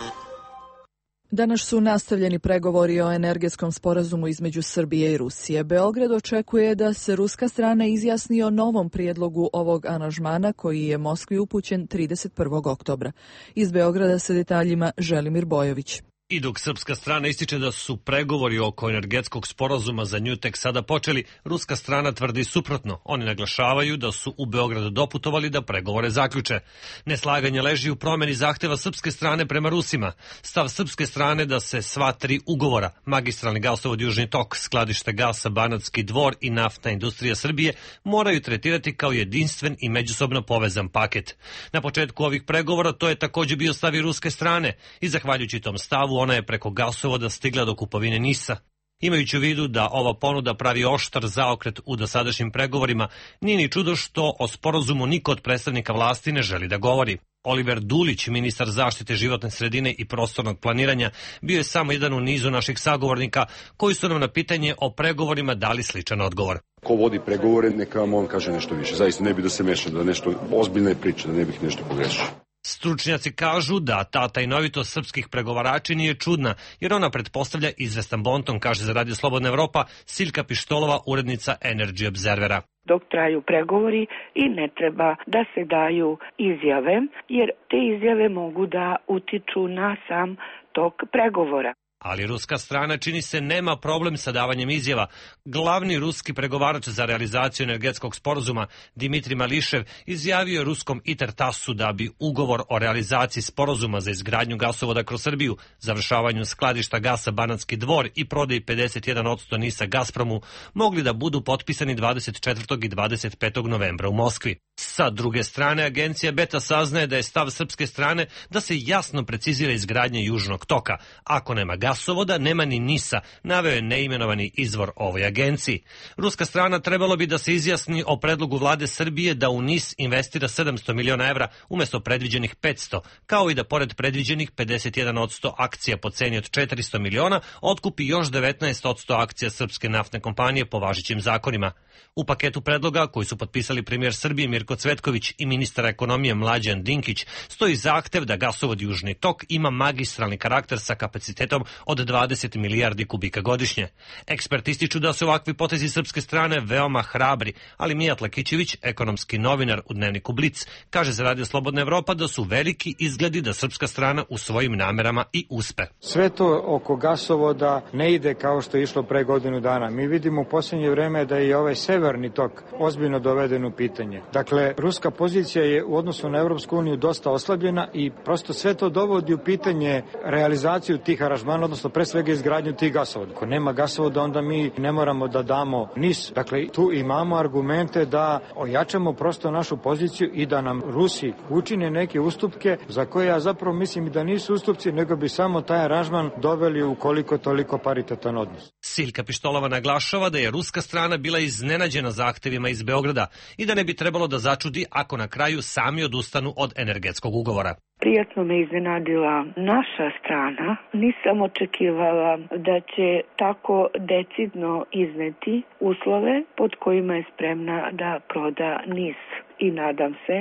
Danas su nastavljeni pregovori o energetskom sporazumu između Srbije i Rusije. Beograd očekuje da se ruska strana izjasni o novom prijedlogu ovog aranžmana, koji je Moskvi upućen 31. oktobra. Iz Beograda sa detaljima Želimir Bojović. I dok srpska strana ističe da su pregovori oko energetskog sporazuma za nju tek sada počeli, ruska strana tvrdi suprotno. Oni naglašavaju da su u Beogradu doputovali da pregovore zaključe. Neslaganje leži u promjeni zahteva srpske strane prema Rusima. Stav srpske strane da se sva tri ugovora, magistralni gasovod Južni tok, skladište gasa Banatski Dvor i naftna industrija Srbije, moraju tretirati kao jedinstven i međusobno povezan paket. Na početku ovih pregovora to je također bio stav i ruske strane i zahvaljujući tom stavu ona je preko gasovoda stigla do kupovine NIS-a. Imajući u vidu da ova ponuda pravi oštar zaokret u dosadašnjim pregovorima, nije ni čudo što o sporazumu niko od predstavnika vlasti ne želi da govori. Oliver Dulić, ministar zaštite životne sredine i prostornog planiranja, bio je samo jedan u nizu naših sagovornika koji su nam na pitanje o pregovorima dali sličan odgovor. Ko vodi pregovore, neka vam on kaže nešto više. Zaista ne bi da se mešam, da nešto ozbiljne priče, da ne bih nešto pogrešio. Stručnjaci kažu da ta tajnovitost srpskih pregovarači nije čudna, jer ona pretpostavlja izvestan bonton, kaže za Radio Slobodna Evropa Siljka Pištolova, urednica Energy Observera. Dok traju pregovori i ne treba da se daju izjave, jer te izjave mogu da utiču na sam tok pregovora. Ali ruska strana, čini se, nema problem sa davanjem izjava. Glavni ruski pregovarač za realizaciju energetskog sporazuma, Dimitrij Mališev, izjavio ruskom ITER-TASS-u da bi ugovor o realizaciji sporazuma za izgradnju gasovoda kroz Srbiju, završavanju skladišta gasa Banatski Dvor i prodaji 51% NIS-a Gazpromu mogli da budu potpisani 24. i 25. novembra u Moskvi. Sa druge strane, agencija Beta saznaje da je stav srpske strane da se jasno precizira izgradnja Južnog toka. Ako nema gasovoda, nema ni NIS-a, naveo je neimenovani izvor ovoj agenciji. Ruska strana trebalo bi da se izjasni o predlogu vlade Srbije da u NIS investira 700 miliona evra umesto predviđenih 500, kao i da pored predviđenih 51% akcija po ceni od 400 miliona otkupi još 19% akcija srpske naftne kompanije po važećim zakonima. U paketu predloga koji su potpisali premijer Srbije Mirko Cvetković i ministar ekonomije Mlađan Dinkić stoji zahtev da gasovod Južni tok ima magistralni karakter sa kapacitetom od 20 milijardi kubika godišnje. Eksperti ističu da su ovakvi potezi srpske strane veoma hrabri, ali Mijat Lakićević, ekonomski novinar u dnevniku Blic, kaže za Radio Slobodna Evropa da su veliki izgledi da srpska strana u svojim namerama i uspe. Sve to oko gasovoda ne ide kao što je išlo pre godinu dana. Mi vidimo u posljednje vreme da je ovaj severni tok ozbiljno doveden u pitanje. Dakle, ruska pozicija je u odnosu na Evropsku uniju dosta oslabljena i prosto sve to dovodi u pitanje realizaciju tih aranžmana, odnosno pre svega izgradnju tih gasovoda. Ako nema gasovoda, onda mi ne moramo da damo NIS. Dakle, tu imamo argumente da ojačamo prosto našu poziciju i da nam Rusi učine neke ustupke za koje ja zapravo mislim da nisu ustupci, nego bi samo taj aranžman doveli u koliko toliko paritetan odnos. Silka Pištolova naglašava da je ruska strana bila iznenađena zahtevima iz Beograda i da ne bi trebalo da začudi ako na kraju sami odustanu od energetskog ugovora. Prijatno me iznenadila naša strana. Nisam očekivala da će tako decidno izneti uslove pod kojima je spremna da proda NIS. I nadam se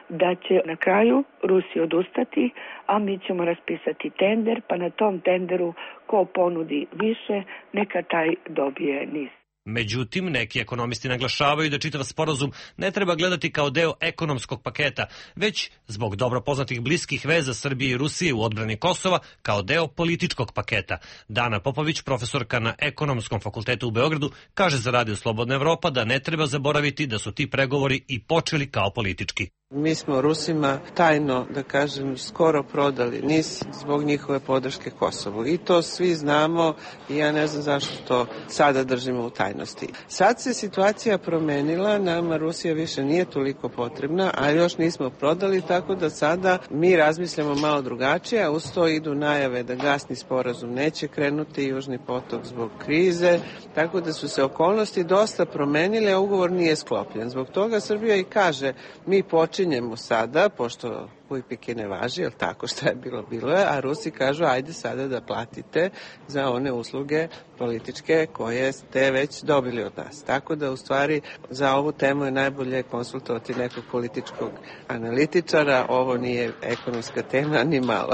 da će na kraju Rusi odustati, a mi ćemo raspisati tender, pa na tom tenderu ko ponudi više, neka taj dobije NIS. Međutim, neki ekonomisti naglašavaju da čitav sporazum ne treba gledati kao deo ekonomskog paketa, već zbog dobro poznatih bliskih veza Srbije i Rusije u odbrani Kosova kao deo političkog paketa. Dana Popović, profesorka na Ekonomskom fakultetu u Beogradu, kaže za Radio Slobodna Evropa da ne treba zaboraviti da su ti pregovori i počeli kao politički. Mi smo Rusima tajno, da kažem, skoro prodali NIS zbog njihove podrške Kosovu. I to svi znamo i ja ne znam zašto to sada držimo u tajnosti. Sad se situacija promenila, nama Rusija više nije toliko potrebna, a još nismo prodali, tako da sada mi razmišljamo malo drugačije, a uz to idu najave da gasni sporazum neće krenuti, Južni potok zbog krize, tako da su se okolnosti dosta promenile, a ugovor nije sklopljen. Zbog toga Srbija i kaže, mi počinjemo sada, pošto Pujpike ne važi, jel tako, šta je bilo je, a Rusi kažu ajde sada da platite za one usluge političke koje ste već dobili od nas. Tako da u stvari za ovu temu je najbolje konsultovati nekog političkog analitičara, ovo nije ekonomska tema ni malo.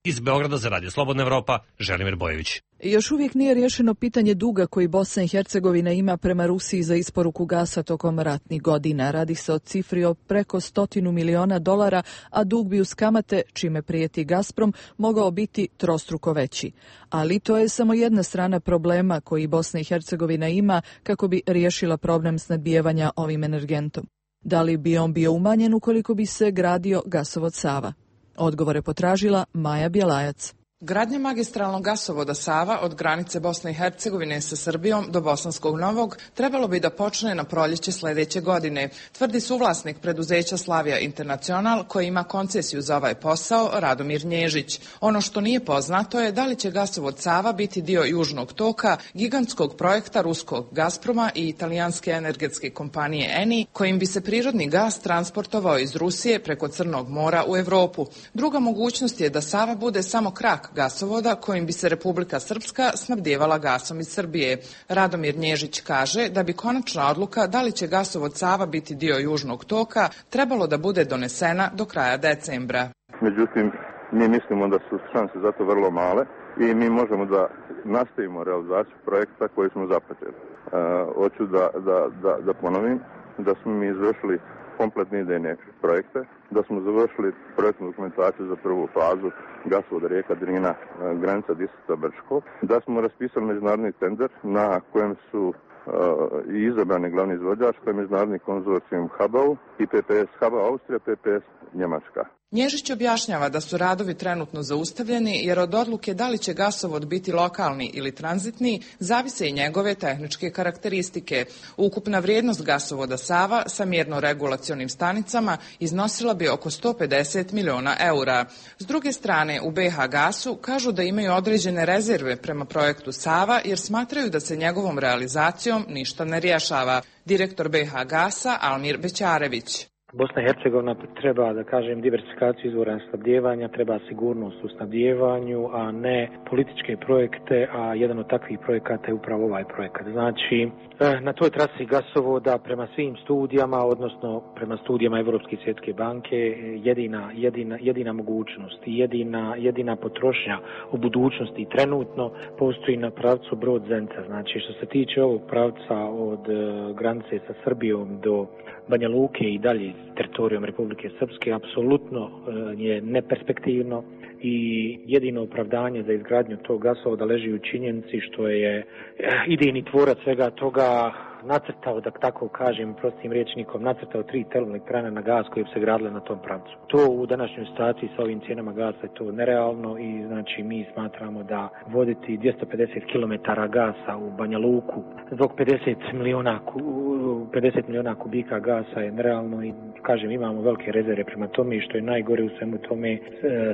Iz Beograda za Radio Slobodna Evropa, Želimir Bojević. Još uvijek nije riješeno pitanje duga koji Bosna i Hercegovina ima prema Rusiji za isporuku gasa tokom ratnih godina. Radi se o cifri o preko $100 miliona, a dug bi uz kamate, čime prijeti Gazprom, mogao biti trostruko veći. Ali to je samo jedna strana problema koji Bosna i Hercegovina ima kako bi riješila problem snabdijevanja ovim energentom. Da li bi on bio umanjen ukoliko bi se gradio gasovod Sava? Odgovore potražila Maja Bjelajac. Gradnja magistralnog gasovoda Sava od granice Bosne i Hercegovine sa Srbijom do Bosanskog Novog trebalo bi da počne na proljeće sledeće godine, tvrdi suvlasnik preduzeća Slavija Internacional koji ima koncesiju za ovaj posao, Radomir Nježić. Ono što nije poznato je da li će gasovod Sava biti dio Južnog toka, gigantskog projekta ruskog Gazproma i italijanske energetske kompanije Eni, kojim bi se prirodni gas transportovao iz Rusije preko Crnog mora u Evropu. Druga mogućnost je da Sava bude samo krak gasovoda kojim bi se Republika Srpska snabdjevala gasom iz Srbije. Radomir Nježić kaže da bi konačna odluka da li će gasovod Sava biti dio Južnog toka trebalo da bude donesena do kraja decembra. Međutim, mi mislimo da su šanse za to vrlo male i mi možemo da nastavimo realizaciju projekta koji smo započeli. Hoću da ponovim da smo mi izvršili kompletne idejne projekte, da smo završili projektnu dokumentaciju za prvu fazu gasovoda rijeka Drina, granica Disuta-Brčko, da smo raspisali međunarodni tender na kojem su i izabrani glavni izvođač, to je međunarodni konzorcijum HABAU i PPS HABA Austrija, PPS Njemačka. Nježić objašnjava da su radovi trenutno zaustavljeni jer od odluke da li će gasovod biti lokalni ili tranzitni zavise i njegove tehničke karakteristike. Ukupna vrijednost gasovoda Sava sa mjerno-regulacionim stanicama iznosila bi oko 150 miliona eura. S druge strane, u BH Gasu kažu da imaju određene rezerve prema projektu Sava jer smatraju da se njegovom realizacijom ništa ne rješava. Direktor BH Gasa Almir Bećarević. Bosna i Hercegovina treba, da kažem, diversifikaciju izvora snabdijevanja, treba sigurnost u snabdijevanju, a ne političke projekte, a jedan od takvih projekata je upravo ovaj projekat. Znači, na toj trasi gasovoda prema svim studijama, odnosno prema studijama Evropske i Svjetske banke, jedina mogućnost i jedina potrošnja u budućnosti trenutno postoji na pravcu Brod-Zenica. Znači, što se tiče ovog pravca od granice sa Srbijom do Banja Luke i dalje teritorijom Republike Srpske apsolutno je neperspektivno i jedino opravdanje za izgradnju tog gasovoda leži u činjenici što je idejni tvorac svega toga nacrtao, da tako kažem, prostim rječnikom, nacrtao 3 termoelektrane na gas koje bi se gradile na tom pravcu. To u današnjoj situaciji sa ovim cijenama gasa je to nerealno i znači mi smatramo da voditi 250 km gasa u Banja Luku zbog 50 miliona kubika gasa je nerealno i kažem imamo velike rezerve prema tome i što je najgore u svemu tome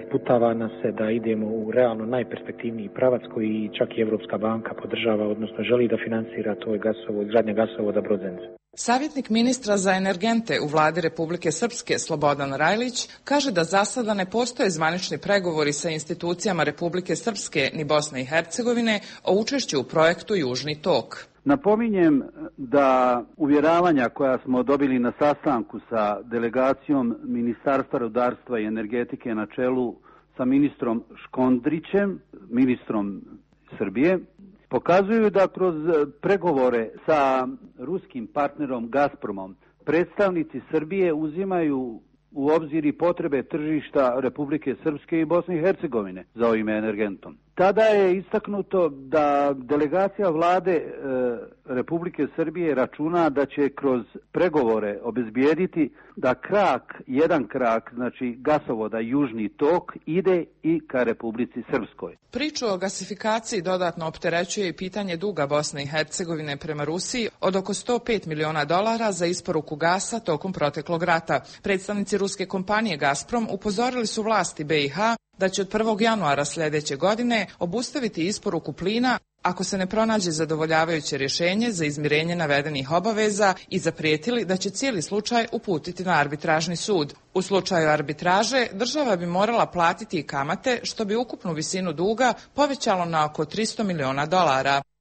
sputava nas se da idemo u realno najperspektivniji pravac koji čak i Evropska banka podržava, odnosno želi da finansira to izgradnja gasovoda Brod-Zenica. Savjetnik ministra za energente u vladi Republike Srpske Slobodan Rajlić kaže da za sada ne postoje zvanični pregovori sa institucijama Republike Srpske ni Bosne i Hercegovine o učešću u projektu Južni tok. Napominjem da uvjeravanja koja smo dobili na sastanku sa delegacijom Ministarstva rudarstva i energetike na čelu sa ministrom Škondrićem, ministrom Srbije, pokazuju da kroz pregovore sa ruskim partnerom Gazpromom predstavnici Srbije uzimaju u obzir i potrebe tržišta Republike Srpske i Bosne i Hercegovine za ovim energentom. Tada je istaknuto da delegacija vlade Republike Srbije računa da će kroz pregovore obezbijediti da jedan krak, znači gasovoda Južni tok, ide i ka Republici Srpskoj. Priču o gasifikaciji dodatno opterećuje i pitanje duga Bosne i Hercegovine prema Rusiji od oko $105 miliona za isporuku gasa tokom proteklog rata. Predstavnici ruske kompanije Gazprom upozorili su vlasti BiH da će od 1. januara sljedeće godine obustaviti isporuku plina ako se ne pronađe zadovoljavajuće rješenje za izmirenje navedenih obaveza i zaprijetili da će cijeli slučaj uputiti na arbitražni sud. U slučaju arbitraže država bi morala platiti i kamate što bi ukupnu visinu duga povećalo na oko $300 miliona.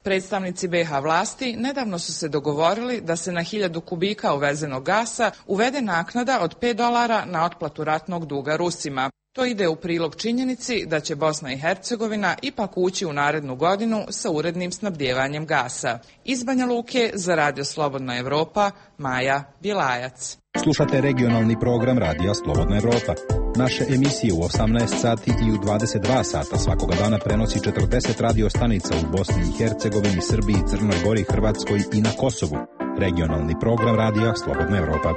Predstavnici BiH vlasti nedavno su se dogovorili da se na 1000 kubika uvezenog gasa uvede naknada od $5 na otplatu ratnog duga Rusima. To ide u prilog činjenici da će Bosna i Hercegovina ipak ući u narednu godinu sa urednim snabdijevanjem gasa. Iz Banja Luke za Radio Slobodna Evropa, Maja Bjelajac. Slušate regionalni program Radija Slobodna Evropa. Naše emisije u 18 sati i u 22 sata svakoga dana prenosi 40 radio stanica u Bosni i Hercegovini, Srbiji, Crnoj Gori, Hrvatskoj i na Kosovu. Regionalni program Radija Slobodna Evropa.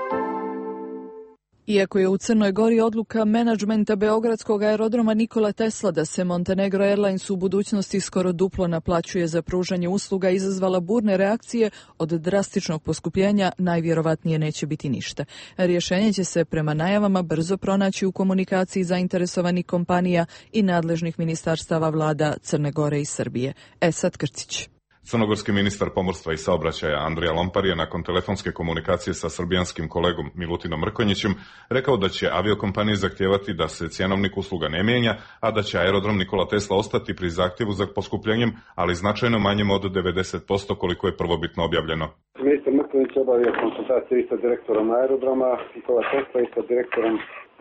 Iako je u Crnoj Gori odluka menadžmenta Beogradskog aerodroma Nikola Tesla da se Montenegro Airlines u budućnosti skoro duplo naplaćuje za pružanje usluga izazvala burne reakcije, od drastičnog poskupljenja najvjerovatnije neće biti ništa. Rješenje će se prema najavama brzo pronaći u komunikaciji zainteresovanih kompanija i nadležnih ministarstava vlada Crne Gore i Srbije. Esad Krcić. Crnogorski ministar pomorstva i saobraćaja Andrija Lompar je nakon telefonske komunikacije sa srbijanskim kolegom Milutinom Mrkonjićem rekao da će aviokompanije zahtijevati da se cjenovnik usluga ne mijenja, a da će aerodrom Nikola Tesla ostati pri zahtjevu za poskupljenjem, ali značajno manjem od 90% koliko je prvobitno objavljeno. Ministar Mrkonjić obavio konsultacije i sa direktorom aerodroma Nikola Tesla i sa direktorom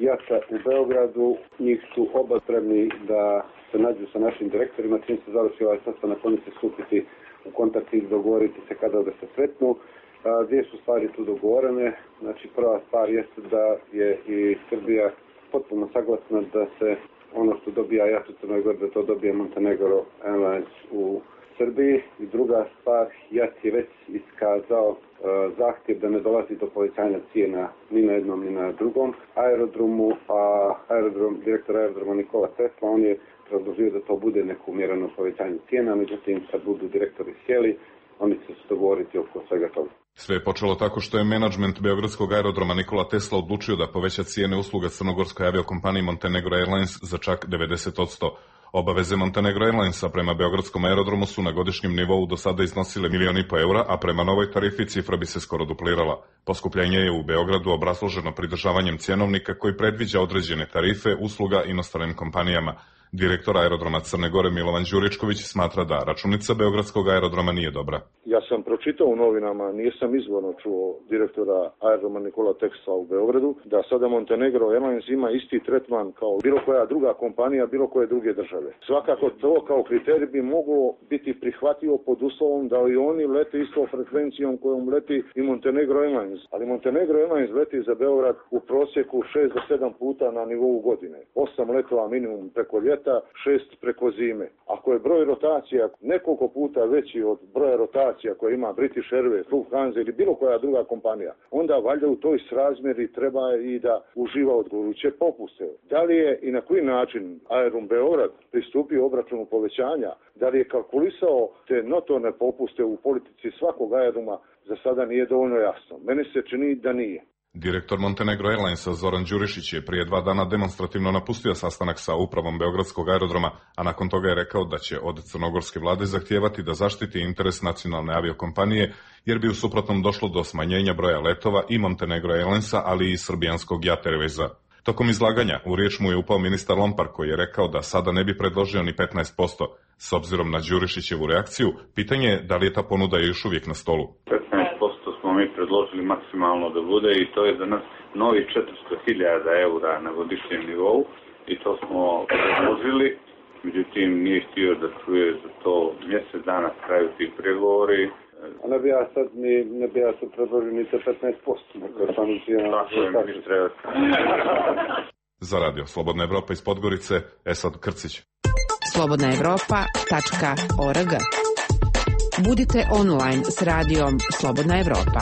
JAT-a u Beogradu. Njih su oba spremni da se nađu sa našim direktorima, čim se završi ovaj sastanak, oni će stupiti u kontakt i dogovoriti se kada da se sretnu. Dvije su stvari tu dogovorene. Znači prva stvar jeste da je i Srbija potpuno saglasna da se ono što dobija JAT u Crnoj Gori, da to dobije Montenegro Airlines u Srbiji. I druga stvar, JAT je već iskazao zahtjev da ne dolazi do povećanja cijena ni na jednom ni na drugom aerodromu, a direktor aerodroma Nikola Tesla, on je predložio da to bude neko umjereno povećanje cijena, međutim kad budu direktori sjeli, oni će se dogovoriti oko svega toga. Sve je počelo tako što je menadžment beogradskog aerodroma Nikola Tesla odlučio da poveća cijene usluga crnogorskoj aviokompaniji Montenegro Airlines za čak 90%. Obaveze Montenegro Airlinesa prema beogradskom aerodromu su na godišnjem nivou do sada iznosile 1,5 miliona eura, a prema novoj tarifi cifra bi se skoro duplirala. Poskupljenje je u Beogradu obrazloženo pridržavanjem cjenovnika koji predviđa određene tarife usluga inostranim kompanijama. Direktor aerodroma Crne Gore Milovan Đuričković smatra da računica beogradskog aerodroma nije dobra. Ja sam pročitao u novinama, nisam izvorno čuo direktora aerodroma Nikola Tesla u Beogradu, da sada Montenegro Airlines ima isti tretman kao bilo koja druga kompanija, bilo koje druge države. Svakako to kao kriterij bi moglo biti prihvatljivo pod uslovom da i oni lete istom frekvencijom kojom leti i Montenegro Airlines. Ali Montenegro Airlines leti za Beograd u prosjeku 6 do 7 puta na nivou godine. 8 letova minimum preko ljeta, 6 preko zime. Ako je broj rotacija nekoliko puta veći od broja rotacija koje ima British Airways, Lufthansa ili bilo koja druga kompanija, onda valjda u toj srazmjeri treba i da uživa odgovarajuće popuste. Da li je i na koji način Aerodrom Beograd pristupio obračunu povećanja, da li je kalkulisao te notorne popuste u politici svakog aerodroma, za sada nije dovoljno jasno. Meni se čini da nije. Direktor Montenegro Airlinesa Zoran Đurišić je prije 2 dana demonstrativno napustio sastanak sa upravom beogradskog aerodroma, a nakon toga je rekao da će od crnogorske vlade zahtijevati da zaštiti interes nacionalne aviokompanije, jer bi u suprotnom došlo do smanjenja broja letova i Montenegro Airlinesa, ali i srbijanskog JAT Airwaysa. Tokom izlaganja u riječ mu je upao ministar Lompar koji je rekao da sada ne bi predložio ni 15%. S obzirom na Đurišićevu reakciju, pitanje je da li je ta ponuda još uvijek na stolu. 15% smo mi predložili maksimalno da bude i to je za nas novi 400.000 eura na godišnjem nivou i to smo predložili. Međutim, nije htio da čuje za to mjesec dana traju ti pregovori. A ne bi ja sad predložio ni te 15%. Tako je, ministre. Za radio Slobodna Evropa iz Podgorice, Esad Krcić. slobodnaevropa.org. Budite online s radijom Slobodna Evropa.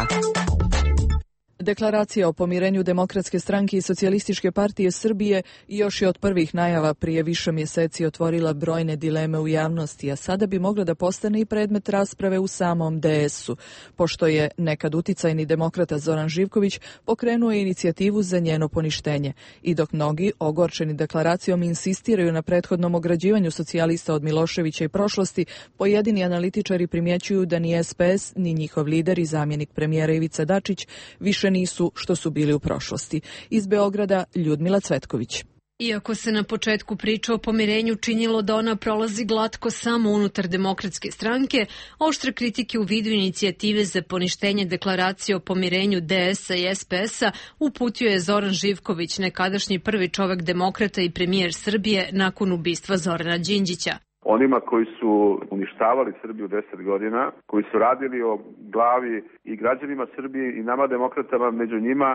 Deklaracija o pomirenju Demokratske stranke i Socijalističke partije Srbije još je od prvih najava prije više mjeseci otvorila brojne dileme u javnosti, a sada bi mogla da postane i predmet rasprave u samom DS-u, pošto je nekad uticajni demokrata Zoran Živković pokrenuo inicijativu za njeno poništenje. I dok mnogi, ogorčeni deklaracijom, insistiraju na prethodnom ograđivanju socijalista od Miloševića i prošlosti, pojedini analitičari primjećuju da ni SPS, ni njihov lider i zamjenik premijera Ivica Dačić više nisu što su bili u prošlosti. Iz Beograda Ljudmila Cvetković. Iako se na početku priča o pomirenju činilo da ona prolazi glatko samo unutar Demokratske stranke, oštre kritike u vidu inicijative za poništenje deklaracije o pomirenju DS-a i SPS-a uputio je Zoran Živković, nekadašnji prvi čovek demokrata i premijer Srbije nakon ubistva Zorana Đinđića. Onima koji su uništavali Srbiju 10 godina, koji su radili o glavi i građanima Srbije i nama demokratama među njima,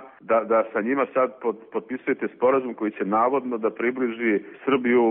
da sa njima sad potpisujete sporazum koji će navodno da približi Srbiju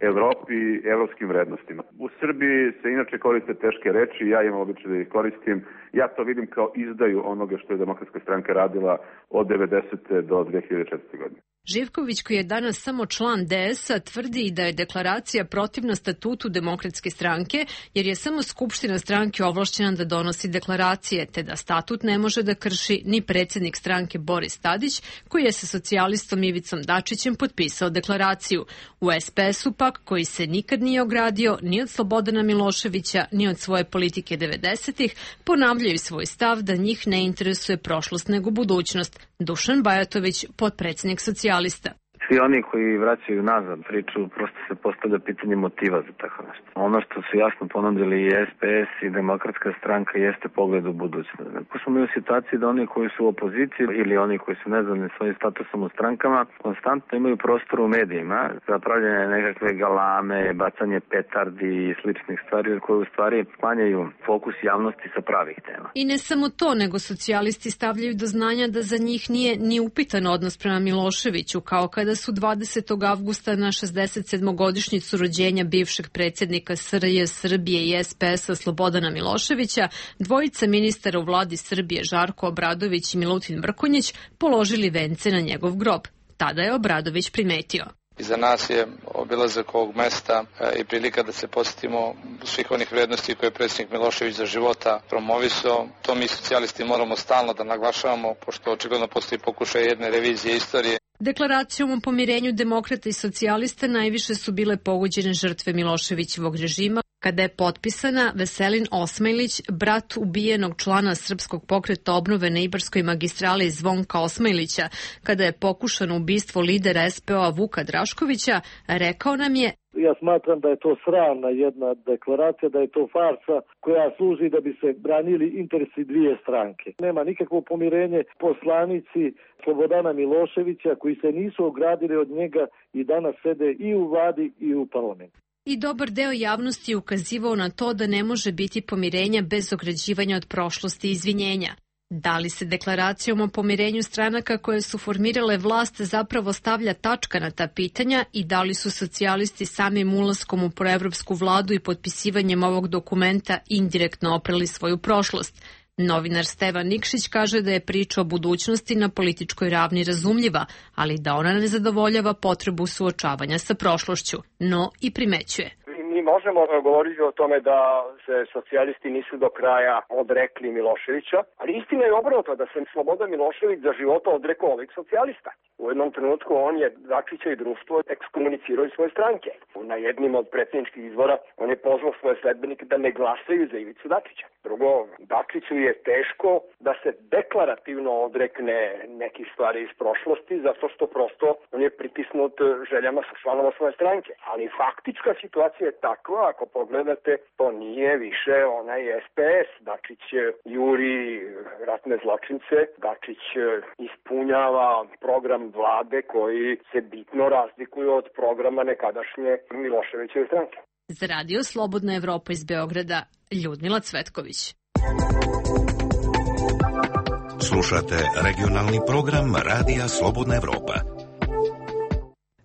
Evropi i evropskim vrednostima. U Srbiji se inače koriste teške reči, ja imam običaj da ih koristim. Ja to vidim kao izdaju onoga što je Demokratska stranka radila od 90. do 2004. godine. Živković, koji je danas samo član DS-a, tvrdi da je deklaracija protivna statutu Demokratske stranke, jer je samo Skupština stranke ovlašćena da donosi deklaracije, te da statut ne može da krši ni predsjednik stranke Boris Tadić, koji je sa socijalistom Ivicom Dačićem potpisao deklaraciju. U SPS-u pak, koji se nikad nije ogradio ni od Slobodana Miloševića, ni od svoje politike 90-ih, ponavljaju svoj stav da njih ne interesuje prošlost nego budućnost. Dušan Bajatović, potpredsjednik socijalista. Svi oni koji vraćaju nazad priču, prosto se postavlja pitanje motiva za tako nešto. Ono što su jasno ponudili i SPS i Demokratska stranka jeste pogled u budućnost. Ako smo mi u situaciji da oni koji su u opoziciji ili oni koji su nezadovoljni svojim statusom u strankama, konstantno imaju prostor u medijima za pravljanje nekakve galame, bacanje petardi i sličnih stvari koje u stvari sklanjaju fokus javnosti sa pravih tema. I ne samo to, nego socijalisti stavljaju do znanja da za njih nije ni upitan odnos prema Miloševiću, kao kada su 20. avgusta na 67. rođenja bivšeg predsjednika SRJ Srbije i SPS-a Slobodana Miloševića, dvojica ministara u vladi Srbije Žarko Obradović i Milutin Mrkonjić položili vence na njegov grob. Tada je Obradović primetio: Iza nas je obilazak ovog mesta i prilika da se posjetimo svih onih vrednosti koje je predsjednik Milošević za života promovisao. To mi socijalisti moramo stalno da naglašavamo, pošto očigledno postoji pokušaj jedne revizije istorije. Deklaracijom o pomirenju demokrata i socijalista najviše su bile pogođene žrtve Miloševićevog režima, kada je potpisana Veselin Osmajlić, brat ubijenog člana Srpskog pokreta obnove na Ibarskoj magistrali Zvonka Osmajlića, kada je pokušano ubistvo lidera SPO-a Vuka Draškovića, rekao nam je: Ja smatram da je to sramna jedna deklaracija, da je to farsa koja služi da bi se branili interesi dvije stranke. Nema nikakvo pomirenje. Poslanici Slobodana Miloševića koji se nisu ogradili od njega i danas sede i u vladi i u parlamentu. I dobar deo javnosti je ukazivao na to da ne može biti pomirenja bez ograđivanja od prošlosti i izvinjenja. Da li se deklaracijom o pomirenju stranaka koje su formirale vlast zapravo stavlja tačka na ta pitanja i da li su socijalisti samim ulaskom u proevropsku vladu i potpisivanjem ovog dokumenta indirektno oprali svoju prošlost? Novinar Stevan Nikšić kaže da je priča o budućnosti na političkoj ravni razumljiva, ali da ona ne zadovoljava potrebu suočavanja sa prošlošću, no i primećuje: Mi možemo govoriti o tome da se socijalisti nisu do kraja odrekli Miloševića, ali istina je obrnuto, da se Slobodan Milošević za života odrekao ovih socijalista. U jednom trenutku on je Dačića i društvo ekskomunicirao iz svoje stranke. Na jednim od predsjedničkih izbora on je pozvao svoje sledbenike da ne glasaju za Ivicu Dačića. Drugo, Dačiću je teško da se deklarativno odrekne nekih stvari iz prošlosti, zato što prosto on je pritisnut željama članova svoje stranke. Ali faktička situacija je takva, ako pogledate, to nije više onaj SPS. Dačić juri ratne zločince, Dačić ispunjava program vlade koji se bitno razlikuju od programa nekadašnje Miloševićeve stranke. Za radio Slobodna Evropa iz Beograda, Ljudmila Cvetković. Slušate regionalni program Radija Slobodna Evropa.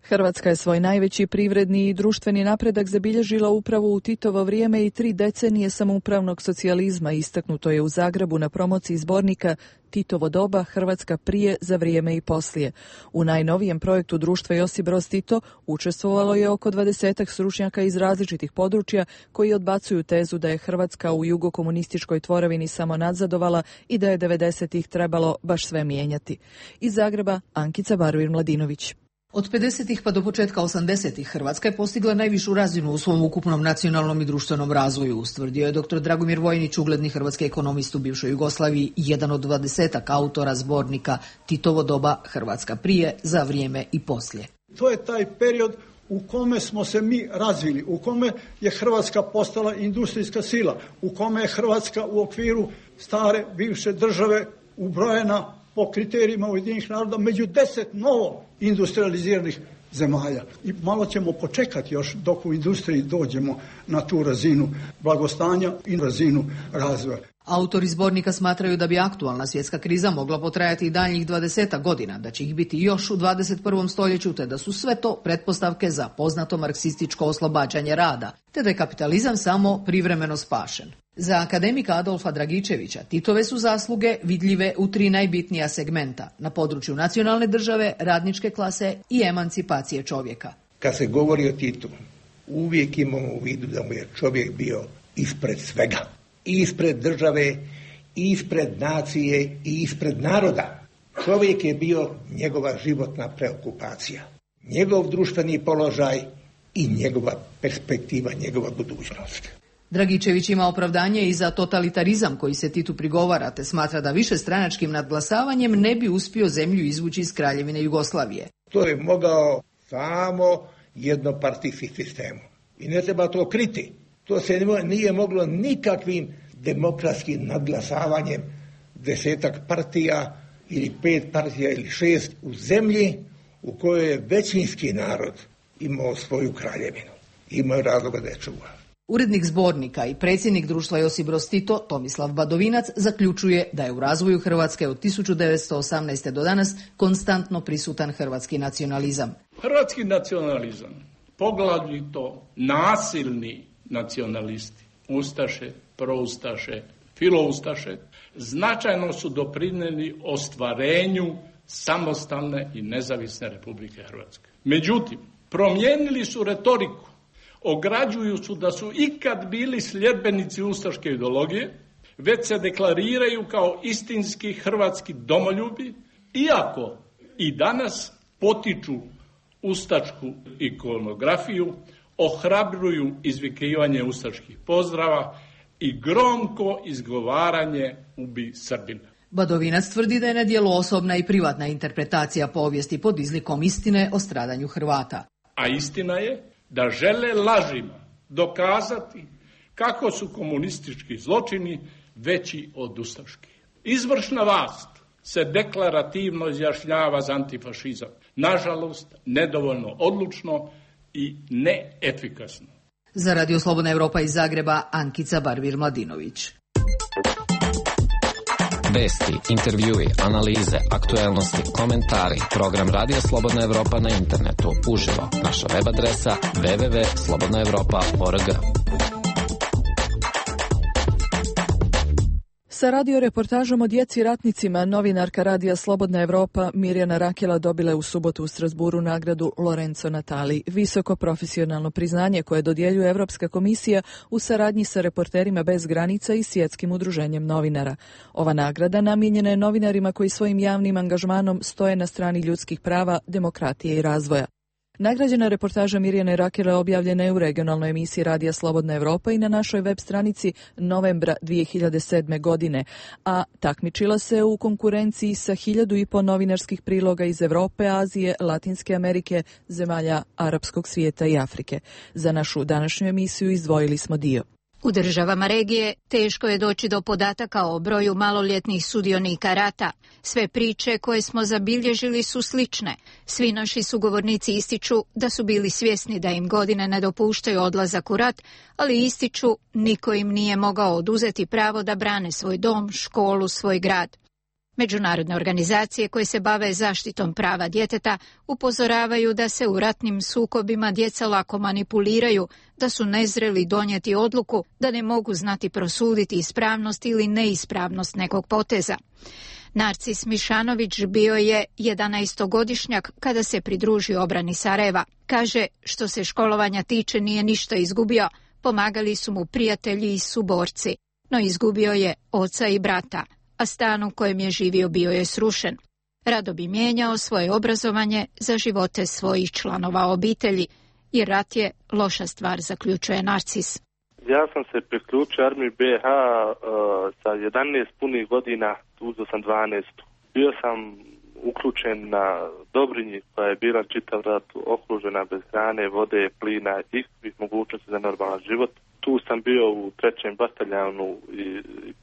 Hrvatska je svoj najveći privredni i društveni napredak zabilježila upravo u Titovo vrijeme i 3 decenije samoupravnog socijalizma, istaknuto je u Zagrebu na promociji zbornika Titovo doba, Hrvatska prije, za vrijeme i poslije. U najnovijem projektu društva Josip Broz Tito učestvovalo je oko 20 stručnjaka iz različitih područja koji odbacuju tezu da je Hrvatska u jugokomunističkoj tvorevini samo nadzadovala i da je 90-ih trebalo baš sve mijenjati. Iz Zagreba, Ankica Baruir-Mladinović. Od 50-ih pa do početka 80-ih Hrvatska je postigla najvišu razinu u svom ukupnom nacionalnom i društvenom razvoju, ustvrdio je dr. Dragomir Vojnić, ugledni hrvatski ekonomist u bivšoj Jugoslaviji, jedan od 20 autora zbornika Titovo doba, Hrvatska prije, za vrijeme i poslije. To je taj period u kome smo se mi razvili, u kome je Hrvatska postala industrijska sila, u kome je Hrvatska u okviru stare bivše države ubrojena po kriterijima Ujedinjenih naroda među 10 novo industrializiranih zemalja. I malo ćemo počekati još dok u industriji dođemo na tu razinu blagostanja i razinu razvoja. Autori zbornika smatraju da bi aktualna svjetska kriza mogla potrajati i daljnjih 20 godina, da će ih biti još u 21. stoljeću, te da su sve to pretpostavke za poznato marksističko oslobađanje rada, te da je kapitalizam samo privremeno spašen. Za akademika Adolfa Dragičevića Titove su zasluge vidljive u 3 najbitnija segmenta na području nacionalne države, radničke klase i emancipacije čovjeka. Kad se govori o Titu, uvijek imamo u vidu da mu je čovjek bio ispred svega. I ispred države, i ispred nacije, i ispred naroda. Čovjek je bio njegova životna preokupacija, njegov društveni položaj i njegova perspektiva, njegova budućnost. Dragičević ima opravdanje i za totalitarizam koji se Titu prigovara, te smatra da višestranačkim nadglasavanjem ne bi uspio zemlju izvući iz Kraljevine Jugoslavije. To je mogao samo jednopartijski sistem. I ne treba to kriti. To se nije moglo nikakvim demokratskim nadglasavanjem 10 partija ili 5 partija ili 6 u zemlji u kojoj je većinski narod imao svoju kraljevinu. Imao razloga da je čuva. Urednik zbornika i predsjednik društva Josip Broz Tito, Tomislav Badovinac, zaključuje da je u razvoju Hrvatske od 1918. do danas konstantno prisutan hrvatski nacionalizam. Hrvatski nacionalizam, poglavito nasilni nacionalisti, ustaše, proustaše, filoustaše, značajno su doprinijeli ostvarenju samostalne i nezavisne Republike Hrvatske. Međutim, promijenili su retoriku, ograđuju su da su ikad bili sljedbenici ustaške ideologije, već se deklariraju kao istinski hrvatski domoljubi, iako i danas potiču ustašku ikonografiju, ohrabruju izvikivanje ustaških pozdrava i gromko izgovaranje ubi Srbina. Badovinac tvrdi da je na djelu osobna i privatna interpretacija povijesti pod izlikom istine o stradanju Hrvata. A istina je da žele lažima dokazati kako su komunistički zločini veći od ustaških. Izvršna vlast se deklarativno izjašnjava za antifašizam. Nažalost, nedovoljno odlučno i neefikasno. Za Radio Slobodna Evropa iz Zagreba, Ankica Barvir-Mladinović. Vesti, intervjui, analize, aktuelnosti, komentari. Program Radija Slobodna Evropa na internetu. Uživo. Naša web adresa www.slobodnaevropa.org. Sa radioreportažom o djeci ratnicima novinarka Radija Slobodna Evropa Mirjana Rakela dobila je u subotu u Strasburu nagradu Lorenzo Natali, visoko profesionalno priznanje koje dodjeljuje Evropska komisija u saradnji sa Reporterima bez granica i Svjetskim udruženjem novinara. Ova nagrada namijenjena je novinarima koji svojim javnim angažmanom stoje na strani ljudskih prava, demokratije i razvoja. Nagrađena reportaža Mirjane Rakele objavljena je u regionalnoj emisiji Radija Slobodna Evropa i na našoj web stranici novembra 2007. godine, a takmičila se u konkurenciji sa 1500 novinarskih priloga iz Evrope, Azije, Latinske Amerike, zemalja arapskog svijeta i Afrike. Za našu današnju emisiju izdvojili smo dio. U državama regije teško je doći do podataka o broju maloljetnih sudionika rata. Sve priče koje smo zabilježili su slične. Svi naši sugovornici ističu da su bili svjesni da im godine ne dopuštaju odlazak u rat, ali ističu niko im nije mogao oduzeti pravo da brane svoj dom, školu, svoj grad. Međunarodne organizacije koje se bave zaštitom prava djeteta upozoravaju da se u ratnim sukobima djeca lako manipuliraju, da su nezreli donijeti odluku, da ne mogu znati prosuditi ispravnost ili neispravnost nekog poteza. Narcis Mišanović bio je 11-godišnjak kada se pridružio obrani Sarajeva. Kaže, što se školovanja tiče nije ništa izgubio, pomagali su mu prijatelji i suborci, no izgubio je oca i brata, a stan u kojem je živio bio je srušen. Rado bi mijenjao svoje obrazovanje za živote svojih članova obitelji, jer rat je loša stvar, zaključuje Narcis. Ja sam se priključio armiji BiH sa 11 punih godina, uzeo sam 12. Bio sam uključen na Dobrinji koja je bila čitav rat okružena bez hrane, vode, plina i svih mogućnosti za normalan život. Tu sam bio u 3. bataljanu i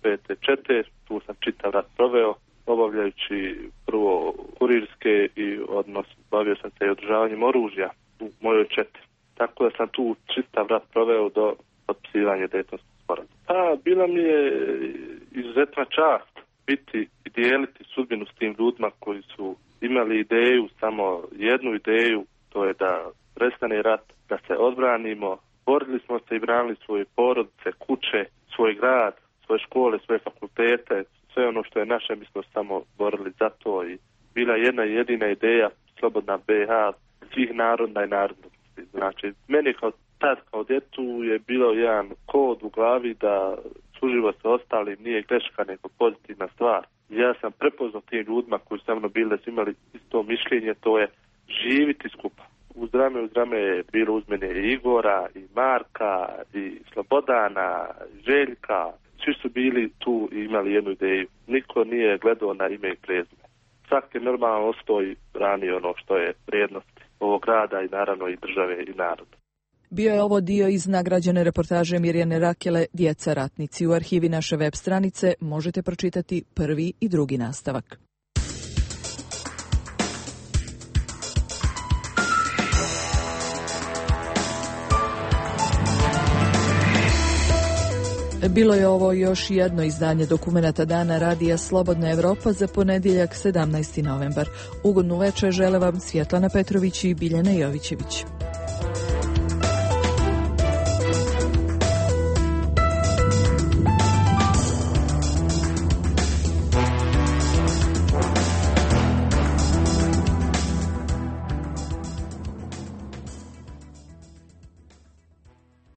5. čete, tu sam čitav rat proveo, obavljajući prvo kurirske i bavio sam se i održavanjem oružja u mojoj četi. Tako da sam tu čitav rat proveo do potpisivanja Dejtonskog sporazuma. Bila mi je izuzetna čast biti i dijeliti sudbinu s tim ljudima koji su imali ideju, samo jednu ideju, to je da prestane rat, da se odbranimo. Borili smo se i branili svoje porodice, kuće, svoj grad, svoje škole, svoje fakultete, sve ono što je naše, mi smo samo borili za to i bila jedna jedina ideja, slobodna BiH, svih naroda i narodnosti. Znači, meni kao djetu je bilo jedan kod u glavi da suživot sa ostalim nije greška nego pozitivna stvar. Ja sam prepoznao tim ljudima koji su sa mnom bili, da su imali isto mišljenje, to je živiti skupa. Uz rame je bilo uz mene i Igora, i Marka, i Slobodana, i Željka. Svi su bili tu i imali jednu ideju. Niko nije gledao na ime i prezime. svaki normalno ostoji brani ono što je vrijednost ovog grada i naravno i države i naroda. Bio je ovo dio iz nagrađene reportaže Mirjane Rakele Djeca ratnici. U arhivi naše web stranice možete pročitati prvi i drugi nastavak. Bilo je ovo još jedno izdanje dokumenata Dana Radija Slobodna Evropa za ponedjeljak 17. novembar. Ugodnu večer žele vam Svjetlana Petrović i Biljana Jovićević.